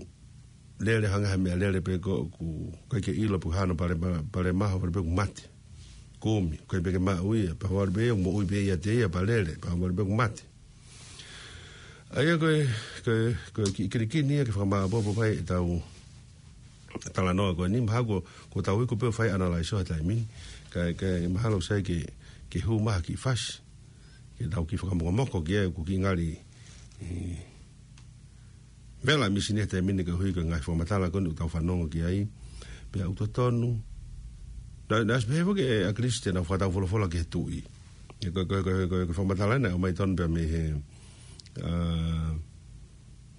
lele hangē ha meʻalele pē ko ē ʻoku ʻikai ke ʻilo pe ko e hā hono pale ma-, pale maho, pale pē ʻoku mate. Kumi, ʻikai pē ke maʻu ia, pea ʻoku pē ia, moʻui pē ia ʻiate ia, pea lele, pea ʻoku pē ʻoku mate. ʻA ia ko e, ko e, ko e kiʻi kilikini ia ke fakamāʻopoʻopo mai ʻetau talanoa ko eni, mahalo ko, ko tau iku pē ʻo fai analyze ʻo he taimi ni. Ka, ka mahalo sai ke, ke hū mai ha kiʻi fasi ke tau kiʻi fakamokomoko ki ai, ʻoku kiʻi ngali, ē, vela misi ni he taimi ni koeʻuhi ko e ngaahi fakamatala ko eni ʻoku tau fanongo ki ai. Pea ʻoku totonu. Naʻe, naʻe ʻosi pehē foki ʻe ʻAkilisi te nau fakataufolofola ki he tuʻi. Ē, ko e, ko e, ko e, ko e, ko e fakamatala naʻe ʻomai tonu pē mei he, ā,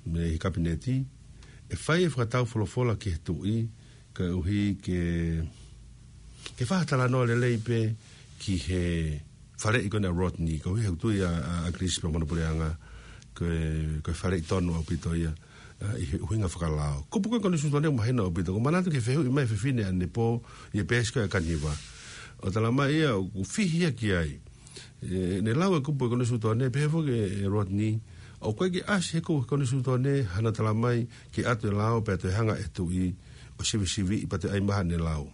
mei he kapineti, ʻe fai e fakataufolofola ki he tuʻi, koeʻuhi ke, ke fakatalanoa lelei pē ki he faleʻi ko eni ʻa Rodney, koeʻuhi he ʻoku tui ʻa, ʻa, ʻAkilisi pea mo hono puleʻanga, ko e, ko e faleʻi tonu ʻaupito ia, ā, ʻi he ʻuhinga fakalao. Kupu ko ē konisitūtone ʻoku mahino ʻaupito, ʻoku ou manatu ki he fehuʻi mai ʻa e fefine ʻanepō, ʻi he peesi ko ē ʻa Kaniva. ʻO talamai ia ʻoku fihi ia ki ai. Ē, ne lau e kupu ʻa e konisitūtone, pehē foki ʻe, ʻe Rodney, ʻoku ʻikai ke ʻasi he kupu ʻa e konisitūtone hano talamai ke ʻatu e lao pea toe hanga ʻe he tuʻi ʻo sivisiviʻi pea toe ʻai mai haʻane lao.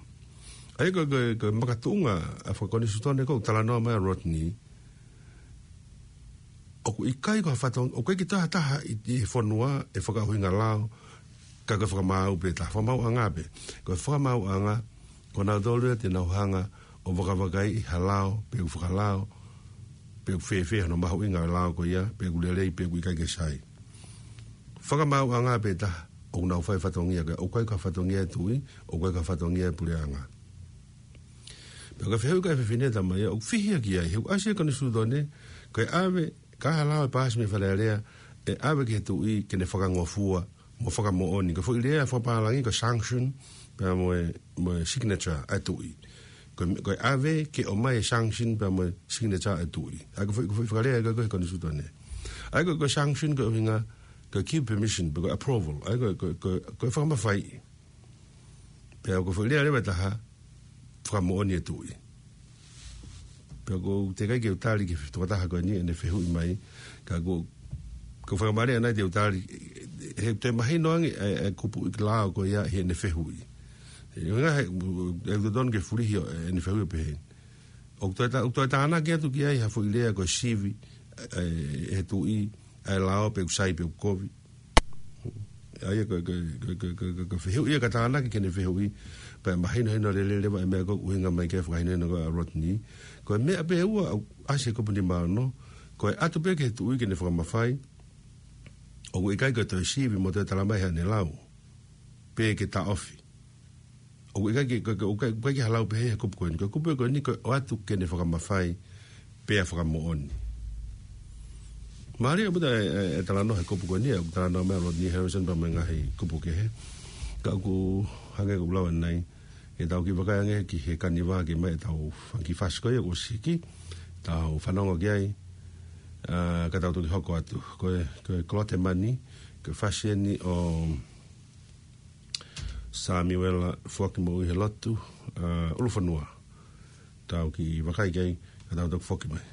ʻA ia ko e, ko e, ko e makatuʻunga ʻa e fakakonisitūtone ko ē ʻoku talanoa mai ʻa Rodney, ʻoku ʻikai ko ha fatongia, ʻoku ʻikai ke toe ha taha ʻi, ʻi he fonua ʻe fakaʻuhinga lao, ka ko e fakamaau pē taha, fakamaauʻanga pē. Ko e fakamaauʻanga, ko nautolu ia te nau hanga ʻo vakavakaiʻi ha lao, pe ʻoku fakalao, pe ʻoku fēfē hono mahuʻinga ʻo e lao ko ia, pe ʻoku lelei, pe ʻoku ʻikai ke sai. Fakamaauʻanga pē taha, ʻoku nau fai fatongia ko ia, ʻoku ʻikai ko ha fatongia ʻa e tuʻi, ʻoku ʻikai ko ha fatongia ʻa e puleʻanga. Pea ko e fehuʻi ko ē ʻa e fefine, talamai ia ʻoku fihi ia ki ai, he ʻoku ʻasi he konisitūtone, ko e ʻave, ka ha lao ʻe paasi mei Fale Alea, ʻe ʻave ki he tuʻi ke ne fakangofua mo fakamoʻoni. Ko e foʻi lea fakapālangi ko e sanction pea mo e, mo e signature ʻa e tuʻi. Ko e, ko e ʻave ke ʻomai e sanction pea mo e signature ʻa e tuʻi. ʻA ia ko e foʻi, ko e foʻi fakalea ko ē ʻa e konisitūtone. ʻA ia ko e, ko e sanction ko e ʻuhinga, ko e give permission, pe ko e approval. ʻA ia ko e, ko e, ko e, ko e fakamafaiʻi. Pea ko e foʻi lea leva ʻe taha, fakamoʻoni e tuʻi. Pea ʻoku teʻeki ai ke u tali ki he tokotaha ko eni ʻene fehuʻi mai, ka ʻoku, ʻoku ou fakamālō ʻanai te u tali, he toe mahino ange ʻa e, ʻa e kupu ʻi he lao ko ia heʻene fehuʻi. He ʻuhinga he, ʻoku totonu ke fulihi ʻene fehuʻi ʻo pehē ni. ʻOku toe tā-, ʻoku toe tānaki atu ki ai ha foʻi lea ko e sivi, ē, ʻe he tuʻi, ʻa e lao pe ʻoku sai pe ʻoku kovi. ʻA ia ko e, ko e, ko e fehuʻi ia ka tānaki ki heʻene fehuʻi, pea mahinohino lelei leva e meʻa ko ē ʻoku ʻuhinga mai ki ai e fakahinohino ko ē ʻa Rodney. Ko e meʻa pē ʻe ua ʻoku ʻasi he kupu nima ono, ko e ʻatu pē ki he tuʻi ke ne fakamafai, ʻoku ʻikai ko e toe sivi mo toe talamai haʻane lau, pe ke taʻofi. ʻOku ʻikai ke, ko, ko, ʻoku ʻikai, ʻoku ʻikai ke ha lau pehē he kupu ko eni. Ko e kupu ko eni ko e ʻoatu ke ne fakamafai pea fakamoʻoni. Mālie ʻaupito e, e, e talanoa he kupu ko eni, ʻoku talanoa mai ʻa Rodney Harrison pea mo e ngaahi kupu kehe. Ka ʻoku hangē ko ʻeku lau ʻanai, ʻe tau kiʻi vakai ange ki he Kaniva ke ʻomai ʻetau fanga kiʻi fasi ko ia kuo ʻosi hiki, tau fanongo ki ai, ā, ka tau toki hoko atu. Ko e, ko e Kolote Mani, ko e fasi eni ʻo Samiuela Foaki Moʻui he Lotu, ā, ʻUlufonua. Tau kiʻi vakai ki ai, ka tau toki foki mai.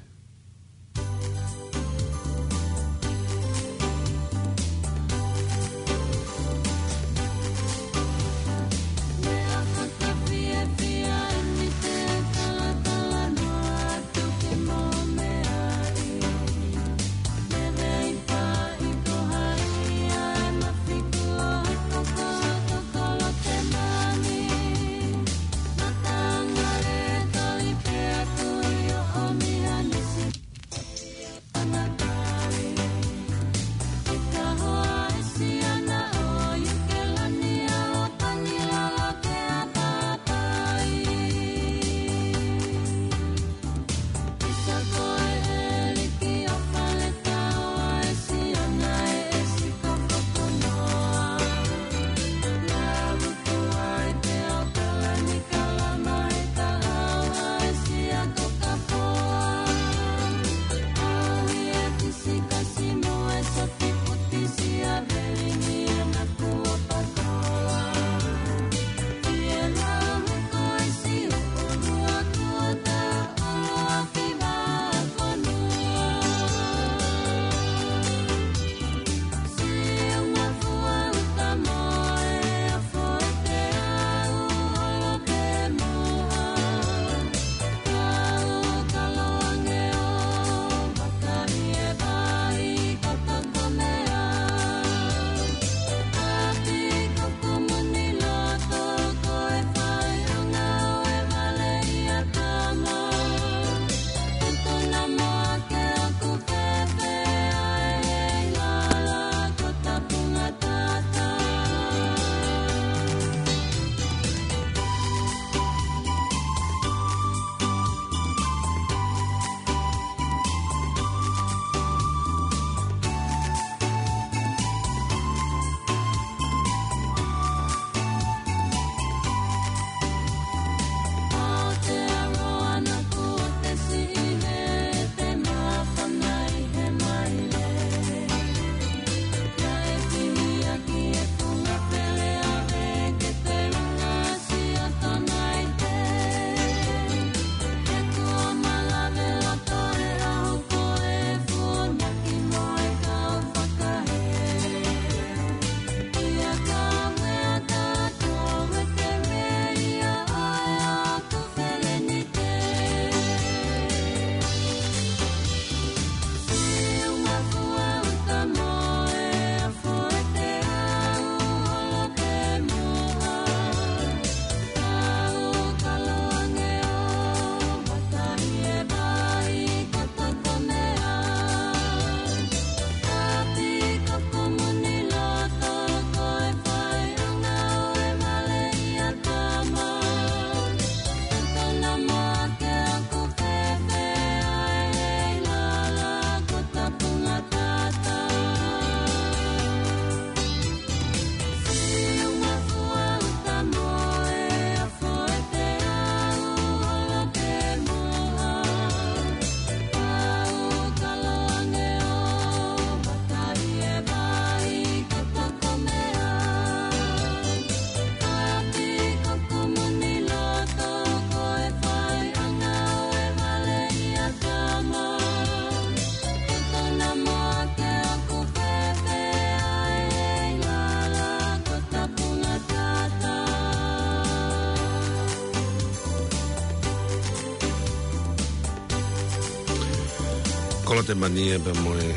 Kolote Mania pea mo e,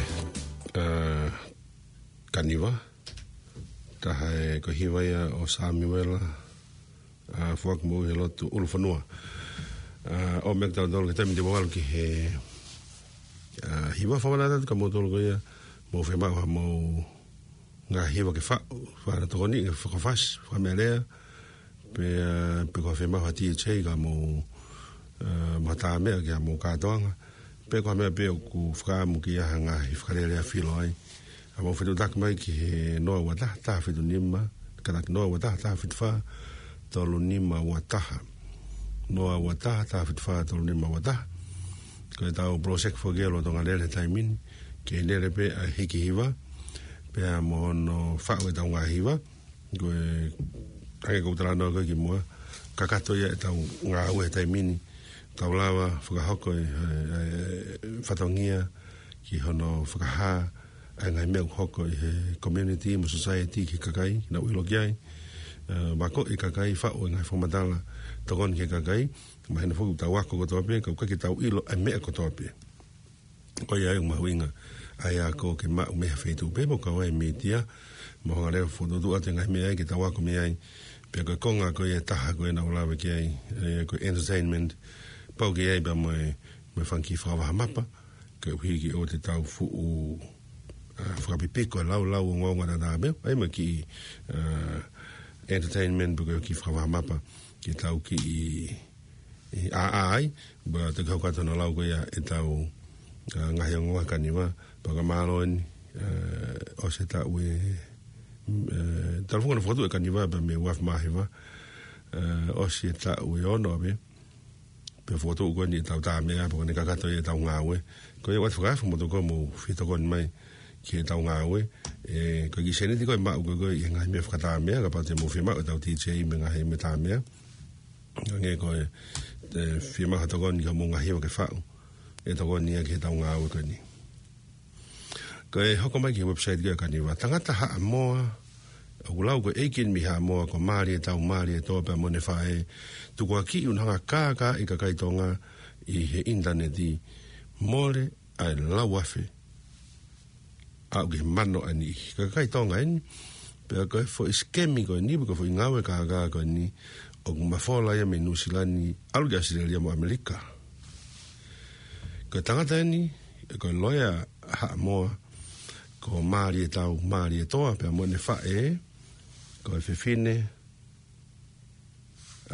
ā, Kaniva. Taha e ko e hiva ia ʻo Samiuela, ā, Fuakimoʻui he lotu ʻUlufonua. Ā, ʻomi ʻe kitautolu ki he taimi ni ʻo valu ki he, ā, hiva. Fakamanatu atu kia moutolu ko ia ʻoku mou fiemaʻu haʻamou ngaahi hiva ke faʻu, fakaʻamu tokoni, ke fakafasi, fakameʻalea, pe, ā, pe ko ha fiemaʻu ha T H A ka mou, ā, mata meʻa ki haʻamou kātoanga, pe ko ha meʻa pē ʻoku fakaʻamu ke ʻi ai ha ngaahi fakalele ʻa filo ai. ʻA, mou fetuʻutaki mai ki he noa ua taha, taha fitu nima, kātaki noa ua taha, taha fitu fā, tolu nima ua taha. Noa ua taha, taha fitu fā, tolu nima ua taha. Ko ʻetau project foki ia ʻoku lolotonga lele he taimi ni, ke lele pē ʻa e hiki hiva, pea mo hono faʻu ʻetau ngaahi hiva. Ko e, hangē ko ʻeku talanoa ko ē kimuʻa, kakato ia ʻetau ngāue he taimi ni, tau lava fakahoko e, e, e fatongia ki hono fakahā ʻa e ngaahi meʻa ʻoku hoko ʻi he community mo society ki he kakai, ke nau ʻilo ki ai, ā, vakoʻi e kakai, faʻu e ngaahi fakamatala, tokoni ki he kakai, mahino foki ʻoku tau ako kotoa pē, ka ʻoku ʻikai ke tau ʻilo ʻa e meʻa kotoa pē. Ko ia ai ʻoku mahuʻinga ʻa e ako ke maʻu mei ha feituʻu pē, pea ʻoku kau ai e mītia, mo e hanga leva ʻo fokotuʻutuʻu atu e ngaahi meʻa ia ke tau ako mei ai. Pea ko e konga ko ia ʻe taha ko ē naʻá ku lave ki ai, ē, ko e entertainment, pau ke ʻi ai pea mo e, mo e fanga kiʻi fakavahamapa, koeʻuhi ke ʻoua te tau fuʻu, ā, fakapipiko e laulau ongoongo tatau pē, ʻai mo e kiʻi, ā, entertainment pe ko e kiʻi fakavahamapa, ke tau kiʻi ʻi ʻā, ʻā ai, pea toki hoko atu hono lau ko ia ʻetau, ā, ngaahi ongoongo Kaniva, pea ka mālō eni, ā, ʻosi e taʻu ē, ē, talu foki hono fokotuʻu e Kaniva pea mei he ua afe mā hiva, ā, ʻosi e taʻu ʻe ono pē, pea fokotuʻu ko eni ʻetau tā meʻa, pea ko ʻene kakato ia ʻetau ngāue. Ko ia ʻoatu fakaafe mo tokoni, mou fie tokoni mai ki heʻetau ngāue. Ē, ko e kiʻi sēniti ko ē ʻe maʻu ko ē ʻi he ngaahi meʻa fakatā meʻa, kapau te mou fiemaʻu ʻetau T H A mo e ngaahi meʻa tā meʻa. Hangē ko e, ē, fiemaʻu ha tokoni ki hoʻomou ngaahi hiva ke faʻu, ʻe tokoni ia ki heʻetau ngāue ko eni. Ko e hoko mai ki he website ko ē ʻa e Kaniva. Tangata Haʻamoa, ʻoku lau ko e ʻeiki eni mei Haʻamoa, ko Malietoa, Malietoa pea mo ʻene faʻē, tukuakiʻi ʻo nau hanga ʻo kākaaʻi e kakai Tonga ʻi he ʻinitaneti, mole ʻa e lau afe aʻu ki he mano ʻa e niʻihi. Ko e kakai Tonga eni, pea ko e foʻi sikemi ko eni, pe ko e foʻi ngāue kākā ko eni, ʻoku mafola ia mei Nuʻusila ni, ʻalu ki ʻAositelēlia mo ʻAmelika. Ko e tangata eni, ko e loea Haʻamoa, ko Malietoa, Malietoa, pea mo ʻene faʻē, ko e fefine,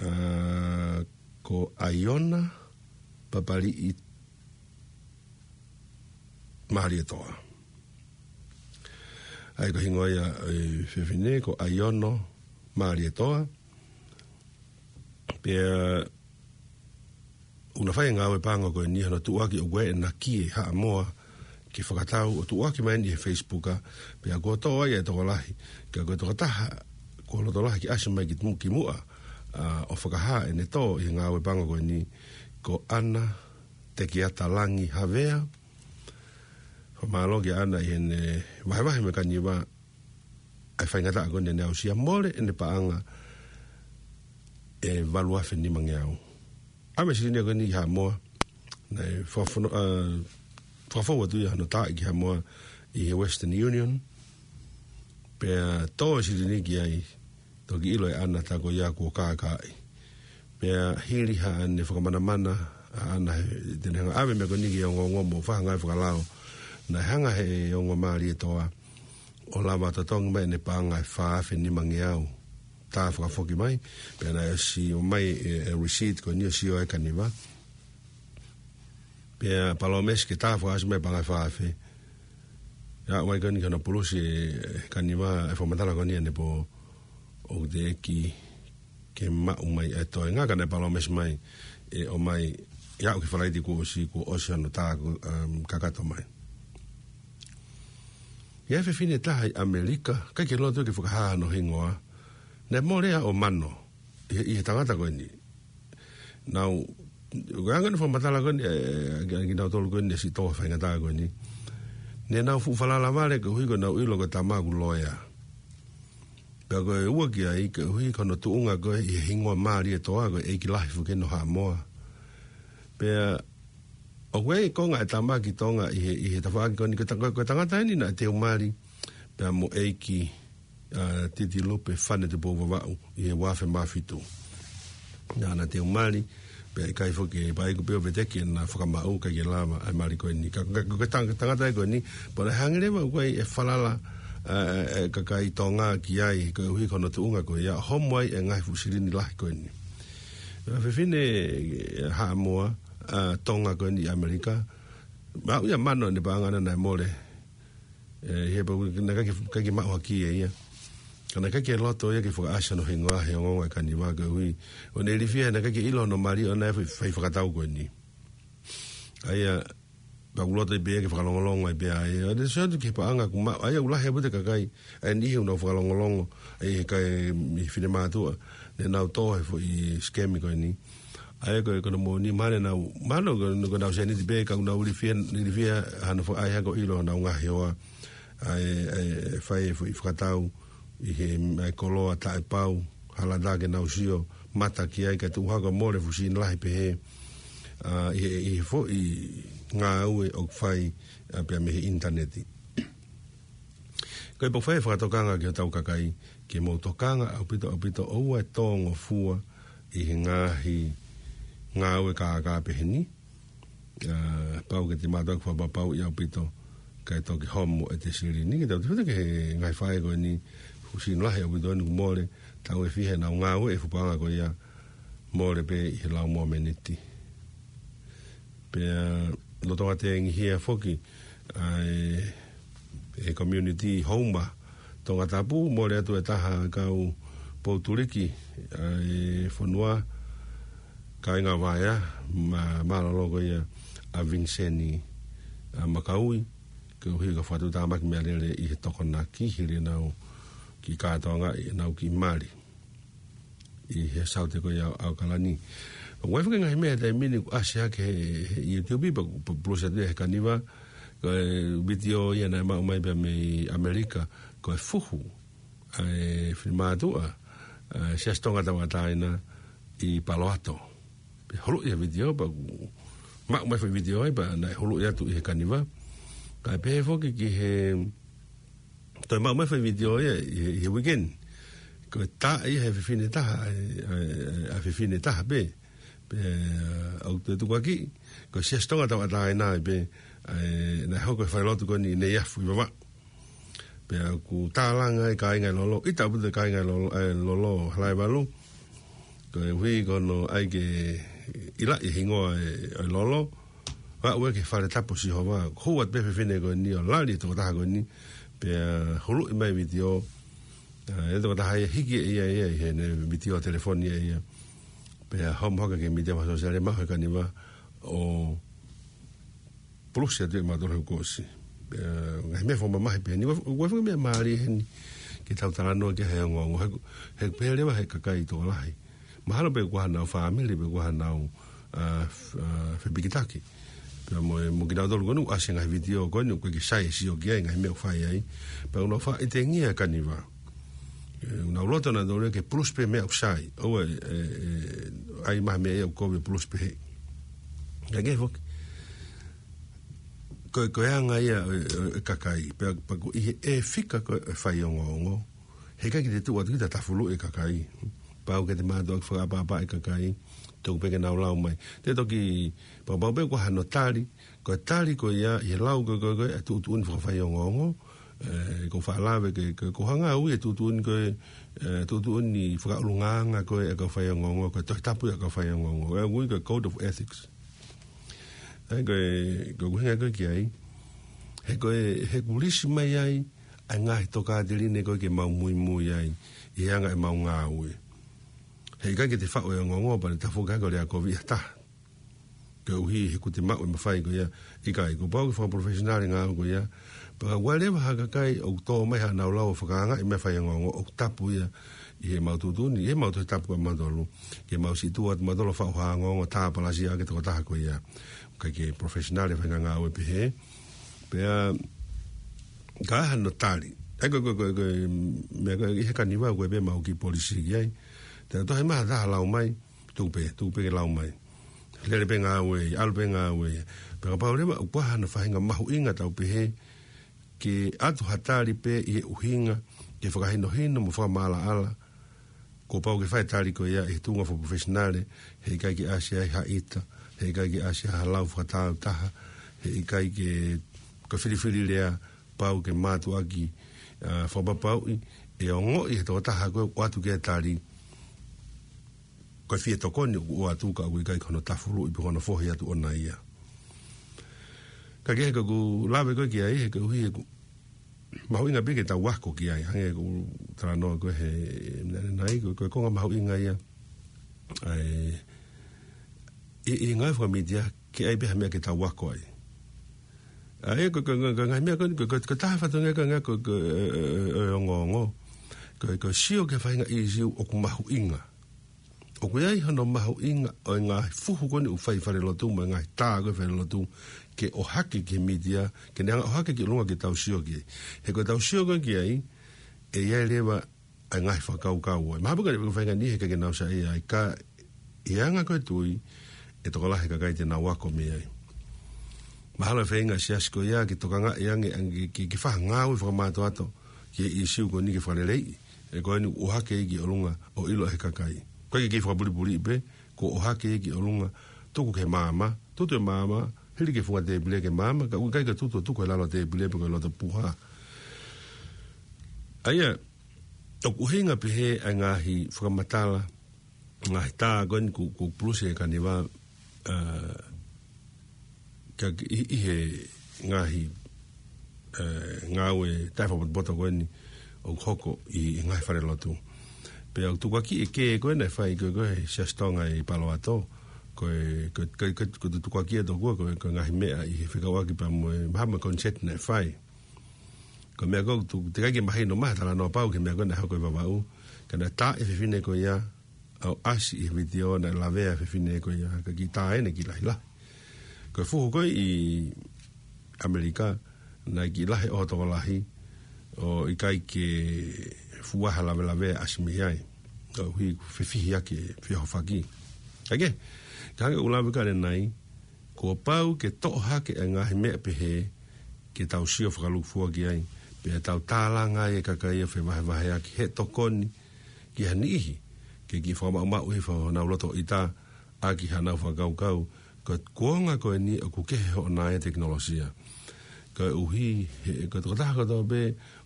ā, ko ʻAiona Papaliʻi Malietoa. ʻA ia ko e hingoa ia ʻo e fefine ko ʻAiona Malietoa. Pea ʻoku na fai e ngāue paʻanga ko eni hono tuʻuaki ʻoku ʻi ai ʻena kie Haʻamoa ke fakatau ʻo tuʻuaki mai eni he Facebook, pea kuo toʻo ai e tokolahi, ka ko e tokotaha kuo loto lahi ke ʻasi mai ki mu-, kimuʻa, ā, ʻo fakahā ʻene tō ʻi he ngāue paʻanga ko eni, ko ʻAna Tekiata Langi Havea. Fakamālō kia ʻAna ʻi heʻene vahevahe mo e Kaniva ʻa e faingataʻa ko eni naʻá ne aʻusia, mole ʻene paʻanga ʻe valu afe nimangeau. ʻAve e silini ko eni ki Haʻamoa, naʻe fakafonu-, ā, fakafou atu ia hono tā ki Haʻamoa ʻi he Western Union, pea tō e silini ki ai, toki ʻilo ʻe ʻAna tā ko ia kuo kākaaʻi. Pea hili haʻane fakamanamana ʻa ʻAna he, te ne hanga ʻo ʻave e meʻa ko eni ke ongoongo mo fai ha ngāue fakalao, naʻe hanga ʻe he ongo Malietoa ʻo lava totongi mai ʻene paʻanga ʻe fā afe nimangeau. Tā fakafoki mai, pea naʻe ʻosi ʻomai e, e receipt ko eni ʻo sio ai e Kaniva. Pea palōmesi ke tā fakaʻosi mai e paʻanga ʻe fā afe. Pea ʻomai ko eni ki hono pulusi ʻe he Kaniva e fakamatala ko eni ʻanepō, ʻoku teʻeki ke maʻu mai e toenga, ka naʻe palōmesi mai ʻe ʻomai ia ʻo ki Falaite kuo ʻosi, kuo ʻosi hono tā, um, kakato mai. ʻI ai e fefine ʻe taha ʻi ʻAmelika, ʻikai ke loto ke fakahā hono hingoa, naʻe mole ia ʻo mano ʻi he, ʻi he tangata ko eni. Nau, ko e anga ʻene fakamatala ko eni, ē, ē, ki, kinautolu ko eni ʻosi tō he faingataʻa ko eni, ne nau fuʻu falala vale koeʻuhi ko ʻenau ʻilo ko e tama ʻoku loea. Pea ko e ua ki ai, koeʻuhi ko hono tuʻunga ko ē ʻi he hingoa Malietoa, ko e ʻeiki lahi foki eni ʻo Haʻamoa. Pea ʻOku ʻi ai e konga e tama ki Tonga ʻi he, ʻi he tafaʻaki ko eni, ko e ta-, ko e tangata eni naʻe teu mali pea mo ʻEiki, ʻa, Titilupe Fane Tupou Vavaʻu ʻi he ua afe mā fitu. Naʻa na teu mali, pea ʻikai foki, pea ʻikai pē ʻo veteki ʻena fakamaʻu, ʻikai ke lava ʻa e mali ko eni. Ka, ka, ko e tang-, tangata ia ko eni, pea naʻe hangē leva ʻoku ʻi ai e falala, ʻa, ʻa, ʻa e kakai Tonga ki ai, koeʻuhi ko hono tuʻunga ko ia, homo ai e ngaahi fuʻu silini lahi ko eni. ʻA e fefine, ʻa, Haʻamoa, ʻa, Tonga ko eni ʻi ʻAmelika. Maʻu ia mano ʻene paʻanga naʻe mole. ʻE, he pau naʻe ʻikai ke, ʻikai ke maʻu hake ʻe ia. Ka naʻe ʻikai ke loto ia ke fakaʻasi hono hingoa he ongoongo ʻa e kaniva koeʻuhi ʻoku ne ilifia he naʻe ʻikai ke ʻilo hono mali ʻo ne fai, fai fakatau ko eni. ʻA ia, pea ʻoku loto ai pē ia ke fakalongolongo ai pē ʻa ia. ʻA ia, sio atu ki he paʻanga ʻoku maʻu, ʻa ia ʻoku lahi ʻaupito e kakai, ʻa e niʻihi ʻoku nau fakalongolongo, ʻa ia he kakai, ʻi he finemātuʻa, ne nau tō he foʻi sikemi ko eni. ʻA ia ko e, ko hono moʻoni mahalo naʻa nau, mahalo ko, ko ʻenau sēniti pē ka ʻoku nau ilifia, ilifia hano fakaʻai hake ʻo ʻilo honau ngaahi hoa. ʻA e, ʻa e fai e foʻi fakatau ʻi he, ʻa e koloa taʻepau, hala tā ke nau sio mata ki ai kae tuʻu hake ʻo mole fuʻu silini lahi pehē, ʻa, ʻi he, ʻi he foʻi ngāue ʻoku fai, ʻa, pea mei he ʻinitaneti. Ko e pau fai e fakatokanga ki hotau kakai, ke mou tokanga ʻaupito, ʻaupito ʻoua ʻe tōngofua ʻi he ngaahi ngāue kākā peheni. ʻA, pau ke te mātuʻaki fakapapauʻi ʻaupito, kae toki homo ʻete silini, ke tau te fete ki he ngaahi faʻē ko eni, fuʻu silini lahi ʻaupito eni ʻoku mole, tau ʻe fiha ʻenau ngāue e fuʻu paʻanga ko ia, mole pē ʻi he lau momeniti. Pea lolotonga tengihia foki ʻa e, e community Houma Tongatapu, mole atu e taha kau poutuliki ʻa e fonua, kāinga Vaea, ma-, mālōlō ko ia ʻa Viniseni, ʻa, Makaui, koeʻuhi ko e fakatuʻutāmaki meʻalele ʻi he tokonaki hili ʻenau kiʻi kātoangaʻi ʻenau kiʻi mali ʻi he saute ko ia ʻo ʻAokalani. ʻOku ʻi ai foki e ngaahi meʻa he taimi ni kuo ʻasi hake he, he YouTube pea, pea pulusi atu ia he kaniva, ko e vitiō ia naʻe maʻu mai pea mei ʻAmelika, ko e fuhu ʻa e finemātuʻa, ʻa e Siasi Tonga Tauʻatāina ʻi Palo Alto. Pea huluʻi e vitiō, pea kuo maʻu mai foʻi vitiō ai, pea naʻe huluʻi atu ʻi he kaniva. Kae pehē foki ki he, toe maʻu mai foʻi vitiō ia ʻi he, ʻi he weekend. Ko e tā ia he fefine taha, ʻa e, ʻa e, ʻa e fefine taha pē. Pea ʻoku toe tukuakiʻi, ko e Siasi Tonga Tauʻatāina ai pē, ʻa e, naʻe hoko e falelotu ko eni ʻi Neiafu ʻi Vavaʻu. Pea ʻoku tālanga e kāinga ʻi Lolo, ʻita ʻaupito e kāinga ʻi Lolo, ʻa e Lolo Halaevalu. Koeʻuhi ko hono ʻai ke ʻiloʻi e hingoa e, e Lolo. Vaʻu ia ki he fale tapu ʻo Sihova, hū atu pē fefine ko eni ʻo lali e tokotaha ko eni, pea huluʻi mai vitiō, ʻa, e tokotaha ia hiki ʻe ia ia ʻi heʻene vitiō telefoni ʻe ia. Pea homo hake ki he mītia fakasōsiale, maʻu he kaniva ʻo pulusi atu ia ʻe mautolu he kuo ʻosi. Pea, ngaahi meʻa fakamamahi peheni, ʻoku, ʻoku ʻi ai foki e meʻa mālie heni, ke tau talanoa ki ai he ongoongo, he, he pehē leva he kakai tokolahi. Mahalo pē ko hanau fāmili, pe ko hanau, ʻa, f-, ʻa, fepikitaki. Pea mo e, mo kinautolu ko eni ʻoku ʻasi e ngaahi vitiō ko eni, ʻoku ʻikai ke sai e sio ki ai, ngaahi meʻa ʻoku fai ai. Pea ʻoku nau faʻa ʻitengia e kaniva. ʻE, ʻoku nau loto nautolu ia ke pulusi pē meʻa ʻoku sai. ʻOua ʻe, ʻe, ʻe, ʻai mai ha meʻa ia ʻoku kovi ʻo pulusi pē he. Ka ke foki. Ko e, ko e anga ia ʻo e, ʻo e kakai. Pea, pea ko e ʻi he fika ko e faiongoongo. He ʻikai ke te tuʻu atu kita ʻo tafuluʻi e kakai. Pau ke te mātuʻaki fakaʻapaʻapaʻi e kakai. Tuku pē ke nau lau mai. Te toki, pea pau pē ko hano tali, ko e tali ko ia ʻi he lau ko e, ko e, ko e, ʻa e tuʻutuʻuni fakafaiongoongo, ʻe, ʻoku ou faʻa lave ke, ke, ko e ngāue ʻa e tuʻutuʻuni ko e, ʻe, tuʻutuʻuni fakaʻulungaanga ko e, ʻa e kau faiongoongo, ko e tohi tapu ia ʻa e kau faiongoongo. ʻE, ui ko e Code of Ethics. ʻE, ko e, ko e ʻuhinga ko ē ki ai. He ko e, he kuo lisi mai ai, ʻa e ngaahi tokāteline ko ē ke mau muimui ai, ʻi he anga ʻemau ngāue. He ʻikai ke te faʻu e ongoongo, pea ne tafoki hake ʻo lea kovi ʻi ha taha. Koeʻuhi he kuo te maʻu e mafai ko ia, ʻikai, kuo pau ke fakaprofessional e ngāue ko ia. Pea ʻoku ʻi ai leva ha kakai ʻoku tō mai haʻanau lau ʻo fakaangaʻi e meʻa faiongoongo ʻoku tapu ia ʻi heʻemau tuʻutuʻuni, ʻi heʻemau tohi tapu ʻamautolu. Ke mau siʻi tuʻu atu mautolu ʻo faʻu ha ongoongo tāpalasia ʻaki e tokotaha ko ia. ʻIkai ke professional e faʻahinga ngāue pehē. Pea, ka ʻi ai hano tali. ʻE ko e, ko e, ko e, ko e, meʻa ko ē ʻi he kaniva ko ē pē ʻemau kiʻi polisi ki ai. Te u tohi mai ha taha lau mai, tuku pē, tuku pē ke lau mai. lele pē ngāue, ʻalu pē ngāue. Pea kapau leva ʻoku ʻi ai hano faʻahinga mahuʻinga tau pehē, ke ʻatu ha tali pē ʻi he ʻuhinga, ke fakahinohino mo fakamaʻalaʻala, kuo pau ke fai e tali ko ia ʻi he tuʻunga fakaprofesinale, heʻikai ke ʻasi ai ha ʻita, heʻikai ke ʻasi ai ha lau fakatāutaha, heʻikai ke, ko e filifili lea, pau ke mātuʻaki, ʻa, fakapapauʻi, ʻe ongoʻi ʻe he tokotaha ko ē ʻoku ʻatu ki ai e tali, ko e fie tokoni ʻoku ʻoatu ka ʻoku ʻikai ko hono tafuluʻi pe ko hono fohi atu ʻona ia. Ka kehe ka ʻoku lave ko ē ki ai, he koeʻuhi ʻoku mahuʻinga pē ke tau ako ki ai, hangē ko e talanoa ko ē he meʻa ʻanenai, ko e, ko e konga mahuʻinga ia. ʻAi, ʻi, ʻi he ngāue fakamītia, ke ʻai pē ha meʻa ke tau ako ai. ʻAi, ko e, ko e, ko e, ko e ngaahi meʻa ko eni, ko e, ko e, ko e taha fatongia ko e ngaahi, ko e, ko e, ʻe, ʻe, ʻe ongoongo. Ko e, ko e sio ki he faʻahinga ʻīsiu ʻoku mahuʻinga. ʻOku ʻi ai hono mahuʻinga ʻo e ngaahi fuhu ko eni ʻoku fai ʻi falelotu, mo e ngaahi tā ko ē ʻi falelotu, ke ʻohake ki he mītia, ke ne hanga ʻohake ki ʻolunga ke tau sio ki ai. He ko ʻetau sio ko ē ki ai, ʻe ʻi ai leva ʻa e ngaahi fakakaukau. Mahalo pē ka ne faʻahinga niʻihi ke nau saiʻia ai ka ʻi he anga ko ē tui, ʻe tokolahi e kakai te nau ako mei ai. Mahalo e feinga e siasi ko ia ke tokangaʻi ange, ange ke, ke, ke fai ha ngāue fakamātoato ki he ʻīsiu ko eni ke fakaleleiʻi. He ko eni ʻohake ia ki ʻolunga ʻo ʻilo ʻe he kakai. Ko e ke fakapulipuli pē, kuo ʻohake ia ki ʻolunga, tuku ki he maama, tutu e maama, hili ki he funga tēpile ki he maama, ka ʻoku ʻikai ke tutu, tuku he lalo tēpile pe ko e loto puha. ʻA ia, ʻoku ʻuhinga pehē ʻa e ngaahi fakamatala, ngaahi tā ko eni ʻoku, ʻoku pulusi ʻe he kaniva, ʻa, ka ki, ʻi, ʻi he ngaahi, ʻe, ngāue taʻefakapotopoto ko eni ʻoku hoko ʻi, ʻi he ngaahi falelotu. Pea ʻoku tukuakiʻi e kē ko ē naʻe fai ko ē, ko ē he Siasi Tonga ʻi Palo Alto, ko e, ko e, ko e, ko e, ko e tukuakiʻi ʻe tokua ko e, ko e ngaahi meʻa ʻi he fekauʻaki pea mo e, mahalo mo e koniseti naʻe fai. Ko e meʻa ko ē ʻoku teʻeki ke mahino mai ha talanoa pau ki he meʻa ko ē naʻe hoko ʻi Vavaʻu. Ka naʻe tā e fefine ko ia, ʻo ʻasi ʻi he vitiō naʻe lavea e fefine ko ia, ka kiʻi tā eni kiʻi lahilahi. Ko e fuhu ko ē ʻi ʻAmelika, naʻe kiʻi lahi ʻo tokolahi, ʻo ʻikai ke fuʻu ʻi ai ha lavelavea ʻasi mei ai. ʻOku ʻi he fefihiʻaki e feʻohofaki. Kae kehe, ka hangē ʻoku lave ki ai ʻanenai, kuo pau ke toʻo hake e ngaahi meʻa pehē, ke tau sio fakalūkufua ki ai, pea tau tālanga ai e kakai ʻo fevahevaheʻaki he tokoni ki ha niʻihi, ke kiʻi fakamaʻumaʻu hifo honau loto ʻita, ʻaki haʻanau fakakaukau, ko e kuonga ko eni ʻoku kehe hoʻo ngaahi tekinolosia. Koeʻuhi, he, ko e tokotaha kotoa pē,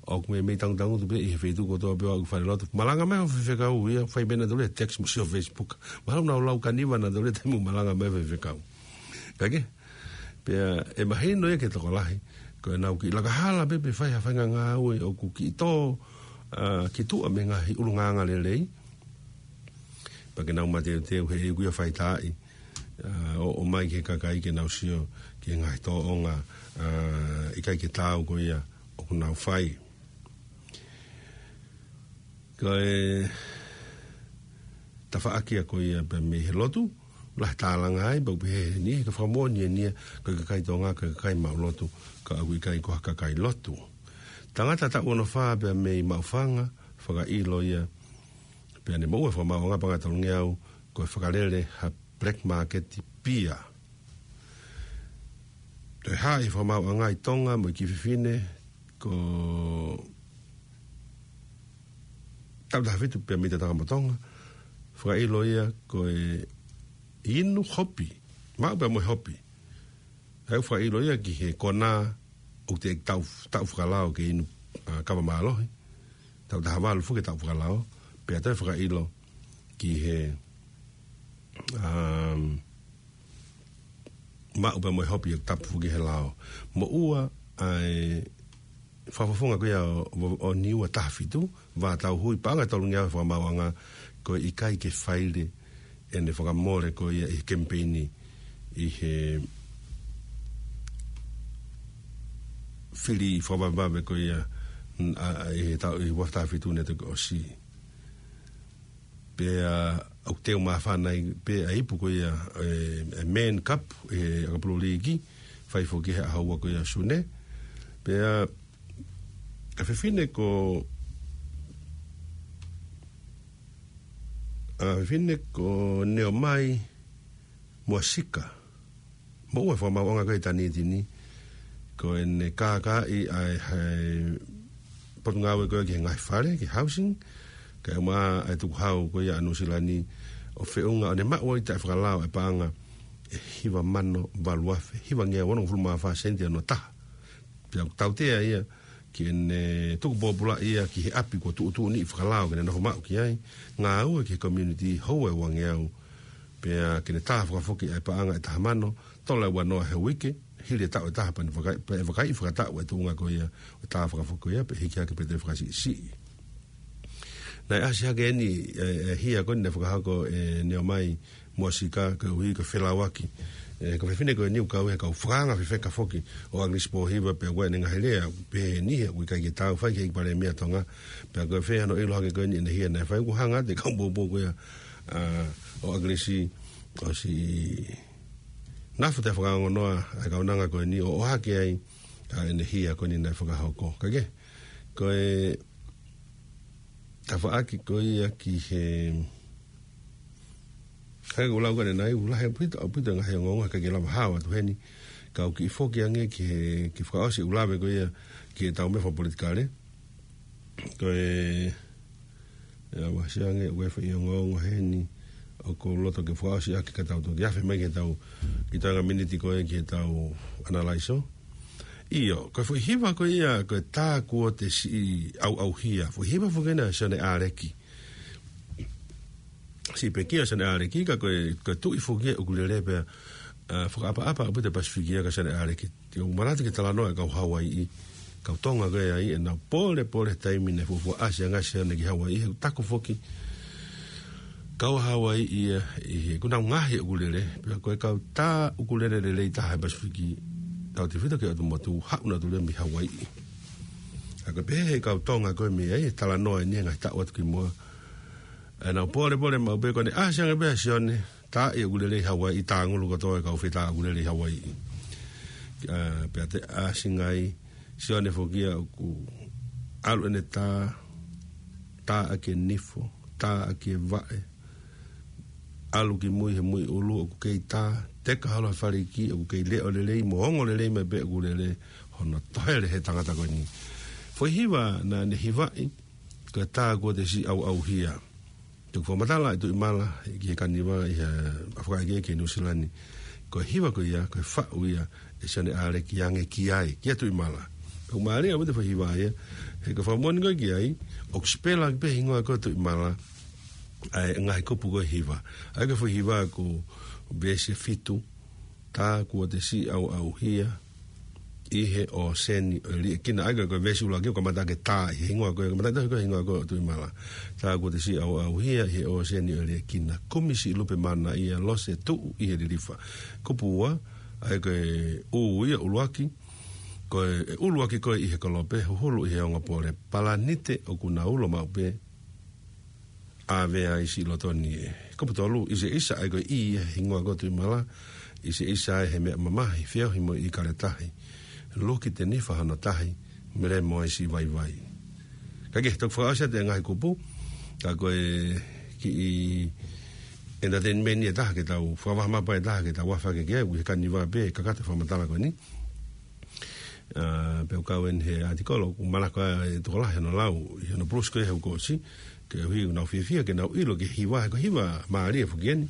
ʻoku meimei tangutangutu pē ʻi he feituʻu kotoa pē ʻoku falelotu. Malanga mai hoʻo faifekau ia, fai pē ʻe nautolu e text mo sio Facebook. Mahalo nau lau kaniva nautolu he taimi ʻoku malanga mai e faifekau. Kae kehe, pea ʻe mahino ia ki he tokolahi, ko ʻenau kiʻi laka hala pē pe fai ha faʻahinga ngāue ʻoku kiʻi tō, ʻa, ki tuʻa mei he ngaahi ʻulungaanga lelei. Pea ke nau mateuteu he ʻoku ʻi ai e faitaaʻi, ʻa, ʻo, ʻomai ki he kakai ke nau sio ki he ngaahi tōʻonga, ʻa, ʻikai ke taau ko ia ʻoku nau fai. Ko e tafaʻaki ia ko ia pea mei he lotu, lahi e tālanga ai, pea ʻoku pehē ʻe he niʻihi, ka fakamoʻoni eni ia, ko e kakai Tonga, ko e kakai maʻulotu, ka ʻoku ʻikai ko ha kakai lotu. Tangata taʻu ono fā pea mei Maʻufanga, fakaʻilo ia, pea ne moʻua he fakamaauʻanga paʻanga ʻe tolungeau, ko e fakalele ha black market pia. Toe hā e fakamaauʻanga ʻi Tonga mo e kiʻi fefine, ko taʻu taha fitu pea mei Tonga mo Tonga, fakaʻilo ia ko e inu hopi, maʻu pea mo e hopi. ʻA ia ʻoku fakaʻilo ia ki he konā ʻoku teʻeki taʻu, taʻu fakalao ke inu, ʻa, kava mālohi. Taʻu taha valu foki e taʻu fakalao, pea toe fakaʻilo ki he, um, maʻu pea mo e hopi ʻoku tapu foki he lao. Moʻua ʻa e fakafofonga ko ia ʻo, ʻo, ʻo Niua taha fitu, Vātauhui, paʻanga ʻe tolungeau he fakamaauʻanga, ko e ʻikai ke faile ʻene fakamole ko ia ʻi he kemipeini ʻi he fili fakavavevave ko ia, n-, ʻa, ʻa, ʻi he taʻu, ʻi he ua afe taha fitu naʻe toki ʻosi. Pea ʻoku teu māfana ai pē ʻa e ipu ko ia, e, e Man Cup, e, ʻakapulu līki, fai foki he ʻaho ua ko ia Sune. Pea, ʻa e fefine ko, ʻa e fefine ko Neomai, Muʻa Sika. Moʻua e fakamāʻopoʻoponga ko ē ʻa e Tanitini, ko ʻene kākaaʻi ʻa e, ʻa e potungāue ko ē ki he ngaahi fale, ki he housing, kae ʻumaʻā ʻa e tukuhau ko ia ʻa Nuʻusila ni, ʻo feʻunga ʻo ne maʻu ai taʻefakalao e paʻanga ʻe hiva mano valu afe hiva ngeau onongofulu mā fā sēniti ʻe ono taha. Pea ʻoku tautea ia ki heʻene tuku pōpula ia ki he ʻapi kuo tuʻutuʻuni ʻi fakalao ke ne nofo maʻu ki ai. Ngāue ki he community, houa ʻe ua ngeau. Pea ke ne tā fakafoki ʻa e paʻanga ʻe taha mano, tola ua noa he uike, hili e taʻu ʻe taha pea ne vakai, pea ʻe vakai fakataʻu e tuʻunga ko ia ʻo e tā fakafoki ko ia, pea hiki hake pē toe fakasiʻisiʻi. Naʻe ʻasi hake eni, e, e hia ko eni naʻe fakahoko ʻe Neomai Muʻa Sika, koeʻuhi ko e felauaki. E, ko e fefine ko eni ʻoku kau he kau fakaanga fefeka foki ʻo ʻAkilisi Pōhiva, pea ko ʻene ngaahi lea, pehē ni he ʻoku ʻikai ke tau fai ki he ʻEiki Palēmia Tonga, pea ko e fē hano ʻilo hake ko eni ʻene hia naʻe fai, ʻoku hanga atu e kau poupou ko ia, ʻa, ʻo ʻAkilisi, ʻosi nofo taʻefakaongonoa ʻa e kaunanga ko eni ʻo ʻohake ai ʻa ʻene hia ko eni naʻe fakahoko. Kae kehe, ko e tafaʻaki ko ia ki he, ʻa ia ko e lau ko eni naʻe ʻoku lahi ʻaupito, ʻaupito e ngaahi ongoongo, ʻikai ke lava hao atu heni, ka u kiʻi foki ange ki he, ki he fakaʻosi ʻeku lave ko ia ki heʻetau meʻa fakapolitikale. Ko e, ʻe au ʻasi ange, ʻoku ʻi ai e foʻi ongoongo heni ʻoku ou loto ke fakaʻosi ʻaki ka tau toki afe mai ki heʻetau, ki he toenga miniti ko ē ki heʻetau ʻanalaiso. ʻIo, ko e foʻi hiva ko ia, ko e Tā Kuo Te Siʻi ʻAuʻauhia. Foʻi hiva foki ena ʻa Sione ʻAleki. Siʻi pekia ʻa Sione ʻAleki, ka ko e, ko e tuʻi foki ia ʻoku lele pea, ʻa, fakaʻapaʻapa ʻaupito e Pasifiki ia kia Sione ʻAleki. Te u manatu ki he talanoa ʻa e kau Hauaiʻi, kau Tonga ko ē ai, ʻenau pōlepole he taimi naʻe fuofua ʻasi ange ai ʻa Sione ki Hauaiʻi, he ʻoku taku foki, kau Hauaiʻi ia, ʻi he, ʻoku nau ngaohi ʻoku lele, pea ko e kau tā ʻoku lele lelei taha he Pasifiki, tautefito ki he ʻotu motu, haʻu nautolu ia mei Hauaiʻi. ʻA ia ko e pehē ʻe he kau Tonga ko ē mei ai, he talanoa eni he ngaahi taʻu atu ki muʻa. ʻEnau pōlepole maʻu pē ko ʻene ʻasi ange pē ʻa Sione, tā ia ʻoku lele ʻi Hauaiʻi, tāngulu kotoa e kau fetā ʻoku lele ʻi Hauaiʻi. ʻA, pea toe ʻasi ange ai, Sione foki ia ʻoku ʻalu ʻene tā, tā ʻaki e nifo, tā ʻaki e vaʻe, ʻalu ki mui he muiʻulu ʻoku kei tā, teka holo he faleiki ʻoku kei leʻo lelei mo ongo lelei mai pē ʻoku lele, hono tohele he tangata ko eni. Foʻi hiva naʻa ne hivaʻi, ko e Tā Kuo Te Siʻi ʻAuʻauhia. Te u fakamatala ʻe Tuʻimala ki he kaniva ʻi he, ʻa, fakaʻeke ki Nuʻusila ni. Ko e hiva ko ia, ko e faʻu ia ʻe Sione ʻAleki ange ki ai, kia Tuʻimala. Ko e mālie ʻaupito e foʻi hiva ia, he ko e fakamoʻoni ko ē ki ai, ʻoku sipela pē hingoa ko ē ʻo Tuʻimala ʻa e ngaahi kupu ko ē hiva. ʻA ia ko e foʻi hiva ko e veesi ʻe fitu, Tā Kuo Te Siʻi ʻAuʻauhia ʻi he ʻōseni ʻo e liʻekina. ʻA ia ko e veesi ʻuluaki ʻoku kamata ʻaki e tā, ʻi he hingoa ko ē, kamata ʻaki e hingoa ko ē ʻo Tuʻimala. Tā Kuo Te Siʻi ʻAuʻauhia ʻi he ʻōseni ʻo e liʻekina. Kumi siʻi lupe manaʻia, lose tuʻu ʻi he lilifa. Kupu ua, ʻa ia ko e ʻū ia ʻuluaki, ko e ʻuluaki ko ē ʻi he kolope, huhulu ʻi he ongo pole. Palanite ʻoku na ulo maʻu pē, ʻave ai siʻi loto ni ē. Kupu tolu, ʻIseʻisa, ʻa ia ko e ʻi he hingoa ko ē ʻo Tuʻimala, ʻiseʻisa ai he meʻa mamahi, feohi mo e ʻī kaletahi. Luki te nifa hono tahi, melemo ai siʻi vaivai. Kae kehe, toki fakaʻosi atu e ngaahi kupu, ka ko e kiʻi entertainment ʻe taha ke tau, fakavahamapa ʻe taha ke tau afe hake ki ai, ʻi he kaniva pē, kakato e fakamatala ko eni. ʻA, pea ʻoku kau eni he ʻātikolo, ʻoku malava e tokolahi hono lau, ʻi hono plus ko ē he uike kuo ʻosi, koeʻuhi ʻoku nau fiefia ke nau ʻilo ki he hiva, he ko e hiva mālie foki eni.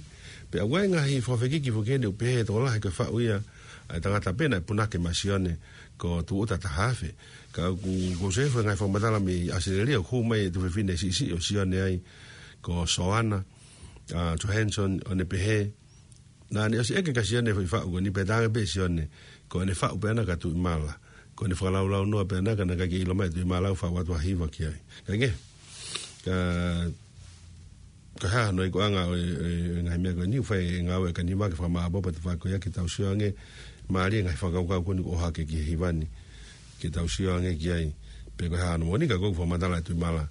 Pea ʻoku ʻi ai e ngaahi fakafekiki foki eni, ʻoku pehē ʻe he tokolahi ko e faʻu ia ʻa e tangata pē naʻe punake maʻa Sione, ko Tūʻuta Tahafe. Ka ʻoku, ʻoku ou sio he ngaahi fakamatala mei ʻAositelēlia, ʻoku hū mai e tuofefine siʻisiʻi ʻo Sione ai, ko Soana, ʻa, Johansson, ʻo ne pehē, naʻa ne ʻosi ʻeke kia Sione e foʻi faʻu ko eni pea talaange pē ʻe Sione, ko ʻene faʻu pē ʻana kia Tuʻimala. Ko ʻene fakalaulaunoa pē ʻana ka naʻe ʻikai ke ʻilo mai ʻe Tuʻimala ʻoku faʻu atu ha hiva ki ai. Kae kehe, ka, ko e hā hono ikuʻanga ʻo e, e, e ngaahi meʻa ko eni, ʻoku fai e ngāue ʻa e kaniva ke fakamāʻopoʻopo e tafaʻaki ko ia ke tau sio ange, mālie e ngaahi fakakaukau ko eni ʻoku ʻohake ki he hiva ni, ke tau sio ange ki ai, pe ko e hā hono moʻoni ka ʻoku fakamatala ʻe Tuʻimala,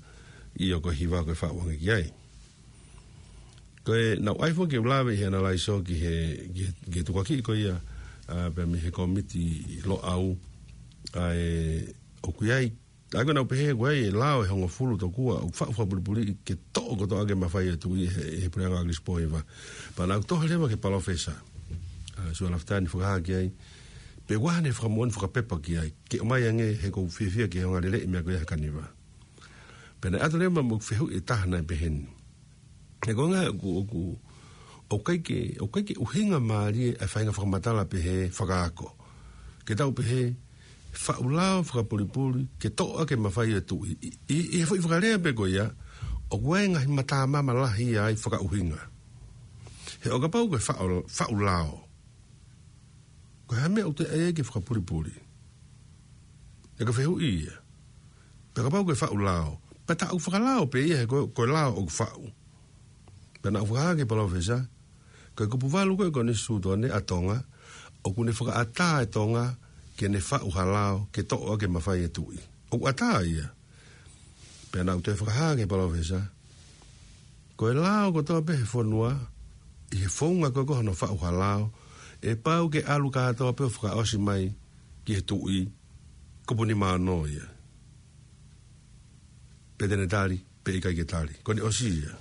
ʻio ko e hiva ko ē ʻe faʻu ange ki ai. Ko e naʻá ku ʻai foki ke u lave ʻi he ʻanalaiso ki he, ki he, ki he tukuakiʻi ko ia, ʻa, pea mei he kōmiti Loʻau, ʻa, ē, ʻoku ʻi ai, ʻa ia ko ʻenau pehē ʻoku ʻi ai e lao ʻe hongofulu tokua, ʻoku faʻu fakapulipuliʻi ke toʻo kotoa ʻaki e mafai ʻo e tuʻi ʻi he, he puleʻanga ʻo ʻAkilisi Pōhiva. Pea naʻá ku toho leva ki he palōfesa. Sua Lafitani fakahā ki ai. Pea ʻoku ʻi ai haʻane fakamoʻoni fakapepa ki ai. Ke ʻomai ange he ʻoku ou fiefia ke ongoʻi lelei e meʻa ko ia he kaniva. Pea naʻe ʻatu leva mo e fehuʻi ʻe taha naʻe peheni. He ko e ʻuhinga ʻoku, ʻoku, ʻoku ʻikai ke, ʻoku ʻikai ke ʻuhinga mālie ʻa e faʻahinga fakamatala pehē fakaako. Ke tau pehē, faʻu lao fakapulipuli, ke toʻo ʻaki e mafai ʻo e tuʻi. ʻI, ʻi, ʻi he foʻi fakalea pē ko ia, ʻoku ʻi ai e ngaahi matamama lahi ia ai fakaʻuhinga. He ʻo kapau ko e faʻu, faʻu lao. Ko e hā e meʻa ʻoku toe ʻai ai ke fakapulipuli? ʻE ka fehuʻi ia. Pea kapau ko e faʻu lao. Pea tā ʻoku fakalao pē ia he ko, ko e lao ʻoku faʻu. Pea naʻa ku fakahā ki he palōfesa, ko e kupu valu ko ē ʻo e konisitūtone ʻa Tonga, ʻoku ne fakaʻatā ʻe Tonga ke ne faʻu ha lao, ke toʻo ʻaki e mafai ʻo e tuʻi. ʻOku ʻatā ia. Pea naʻa ku toe fakahā ki he palōfesa, ko e lao kotoa pē he fonua, ʻi he founga ko ē ko hono faʻu ha lao, ʻe pau ke ʻalu kātoa pē ʻo fakaʻosi mai ki he tuʻi, kupu nima ono ia. Pea te ne tali, pe ʻikai ke tali. Ko ʻene ʻosi ia.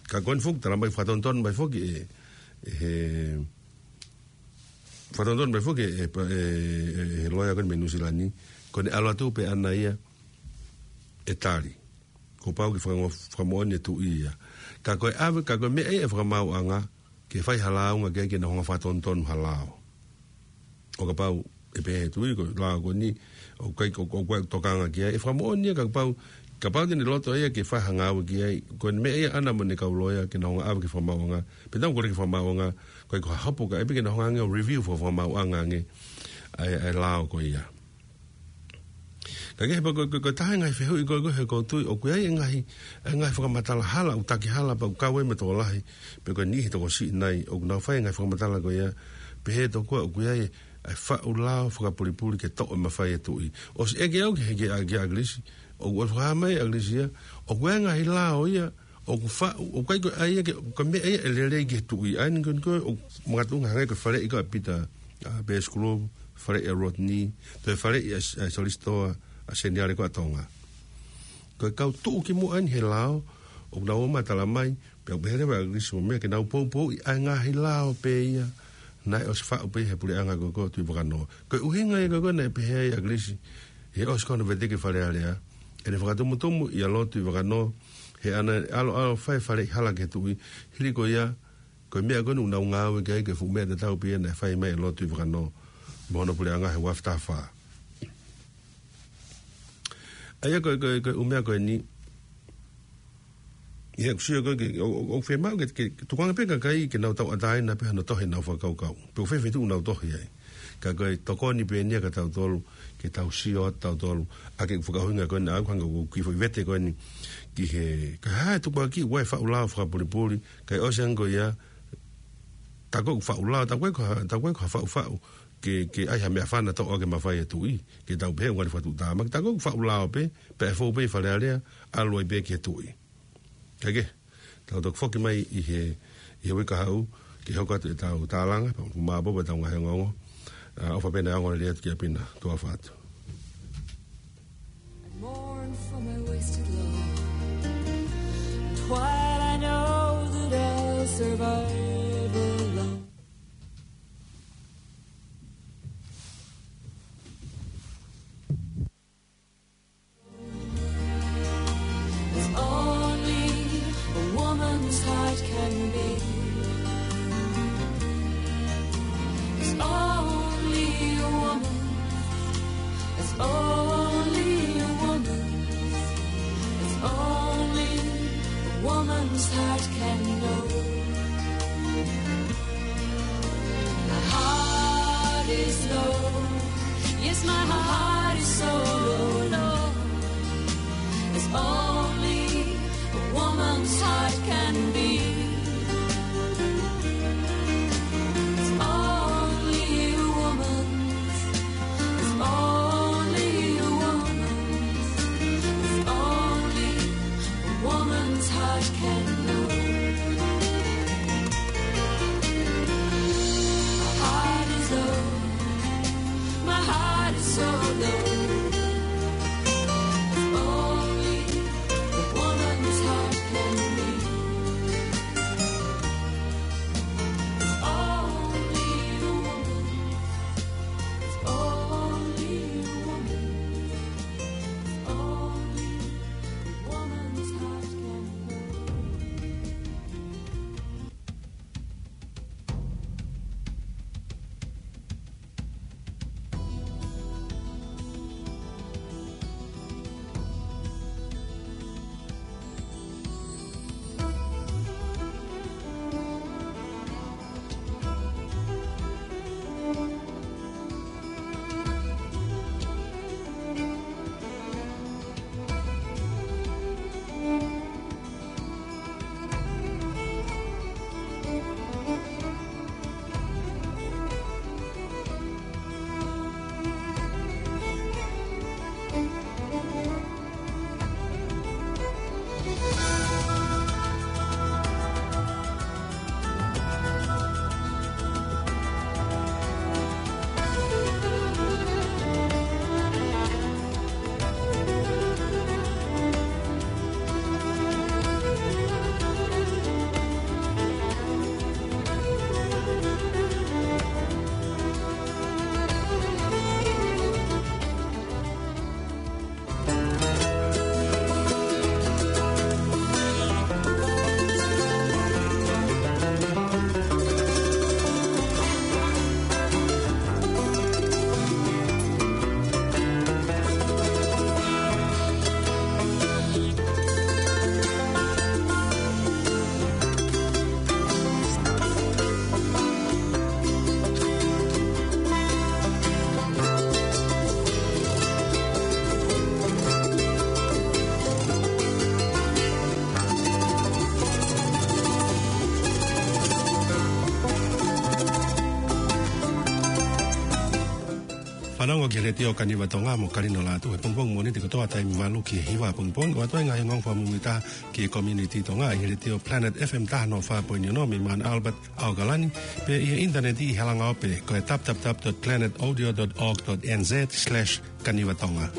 Ka ko ʻene foki, tala mai fakatonutonu mai foki ʻe, ʻe he, fakatonutonu mai foki ʻe, ʻe, ʻe, ʻe he loea ko eni mei Nuʻusila ni, ko ʻene ʻalu atu pē ʻana ia ʻe tali. Kuo pau ke fakango-, fakamoʻoni e tuʻi ia. Ka ko e ʻave, ka ko e meʻa ia ʻa e fakamaauʻanga, ke fai ha lāunga ki ai ke nau hanga ʻo fakatonutonu ha lao. ʻO kapau ʻe pehē ʻe he tuʻi ko e lao ko eni, ʻoku ʻikai, ʻoku, ʻoku ʻikai tokanga ki ai, ʻe fakamoʻoni ia ka kapau, kapau te ne loto ia ke fai ha ngāue ki ai, ko e meʻa ia ʻana mo ʻene kau loea ke nau hanga ʻo ʻave ki he fakamaauʻanga, pea tau kole ki he fakamaauʻanga, ko e ko ha hopo ka ʻe pē ke nau hanga ange ʻo review fo-, fakamaauʻanga ange, ʻa e, ʻa e lao ko ia. Ka ke he pea ko, ko, ko e taha e ngaahi fehuʻi ko, ko he ʻoku ou tui, ʻoku ʻi ai e ngaahi, e ngaahi fakamatala hala, ʻoku taki hala, pea ʻoku kau ai mo e tokolahi, pe ko e niʻihi tokosiʻi nai, ʻoku nau fai e ngaahi fakamatala ko ia, pehē tokua ʻoku ʻi ai e faʻu lao fakapulipuli ke toʻo e mafai ʻo e tuʻi. ʻOsi ʻeke au ki he, ki he, ki he ʻAkilisi, ʻoku ʻosi fakahā mai ʻe ʻAkilisi ia, ʻoku ʻi ai e ngaahi lao ia, ʻoku faʻu, ʻoku ʻikai ko e ʻai ia ke, ko e meʻa ia ʻe lelei ki he tuʻi. ʻA eni ko, ko, ʻoku makatuʻunga hangē ko e faleʻi ko ē ʻa Pita, ʻa Pesi Kulovu, faleʻi ʻa Rodney, toe faleʻi ʻa, ʻa Solisitoa, ʻa Seniale ko ē ʻa Tonga. Ko e kau tuʻukimuʻa eni he lao, ʻoku nau ō mai ʻo tala mai, pea ʻoku pehē leva ʻe ʻAkilisi mo e meʻa ke nau poupouʻi ʻa e ngaahi lao pē ia, naʻe ʻosi faʻu pē he puleʻanga ko ē ko Tuʻivakanō. Ko e ʻuhinga ia ko ē naʻe pehē ai ʻe ʻAkilisi, he ʻosi ko hono veteki Fale Alea, ʻene fakatumutumu ʻia Lord Tuʻivakanō, he ʻana ʻalu ʻalu ʻo fai e faleʻi hala ki he tuʻi, hili ko ia, ko e meʻa ko eni ʻoku nau ngāue ki ai, ko e fuʻu meʻa tatau pē ia naʻe fai mai ʻe Lord Tuʻivakanō, mo hono puleʻanga he ua afe taha fā. ʻA ia ko e, ko e, ko e ʻū meʻa ko eni, ʻi heʻeku sio ko ē ke, ʻo, ʻo, ʻoku fiemaʻu ke, ke, ke tukuange pē kakai ke nau tauʻatāina pē hano tohi ʻenau fakakaukau. Pe ko fē feituʻu ʻoku nau tohi ai. Ka ko e tokoni pē eni ia kia tautolu, ke tau sio atu tautolu, ʻa e kiʻi fakaʻuhinga ko eni ʻa ʻeku hanga ʻo kiʻi foʻi vete ko eni, ki he, ka ha e tukuakiʻi ʻa e faʻu lao fakapulipuli, kae ʻosi ange ko ia, tā ko ē ʻoku faʻu lao, tā ko ē ko ha, tā ko ē ko ha faʻufaʻu, ke, ke ʻai ha meʻafana toʻo ʻaki e mafai ʻo e tuʻi, ke tau pehē ʻoku ngali fakatuʻutāmaki, tā ko ē ʻoku faʻu lao pē, pea ʻe fou pē ʻi Fale Alea, ʻalu ai pē ki he tuʻi. Kae kehe, tau toki foki mai ʻi he, ʻi he uike kahaʻu, ke hoko atu ʻetau tālanga, pea ʻoku māpō pē ʻetau ngaahi ongoongo, ʻa, ʻofa pē naʻe ongo lelei atu kia Pina, tuʻa ʻofa atu. I mourn for my wasted love. Twilight, I know that I'll survive alone. As only a woman's heart can be. As only a woman. As only a woman. As only a woman's heart can know. My heart is low. Yes, my heart is so low. As only a woman's heart can be. As only a woman's. As only a woman's. As only a woman's heart can know. My heart is low. My heart is so low. As only a woman's heart can be. Longo ki he Letiō Kaniva Tonga mo Kalino Lātū he pongipongi Mōnite kotoa taimi valu ki he hiva pongipongi, ʻo ʻoatu ai e ngaahi ongoongo fakamuimuitaha ki he community Tonga ʻi he Letiō Planet F M taha noa fā poini ono mei Mount Albert, ʻAokalani, pea ʻi he ʻinitaneti ʻi he langaope ko e w w w dot planet audio dot org dot n z slash kaniva tonga.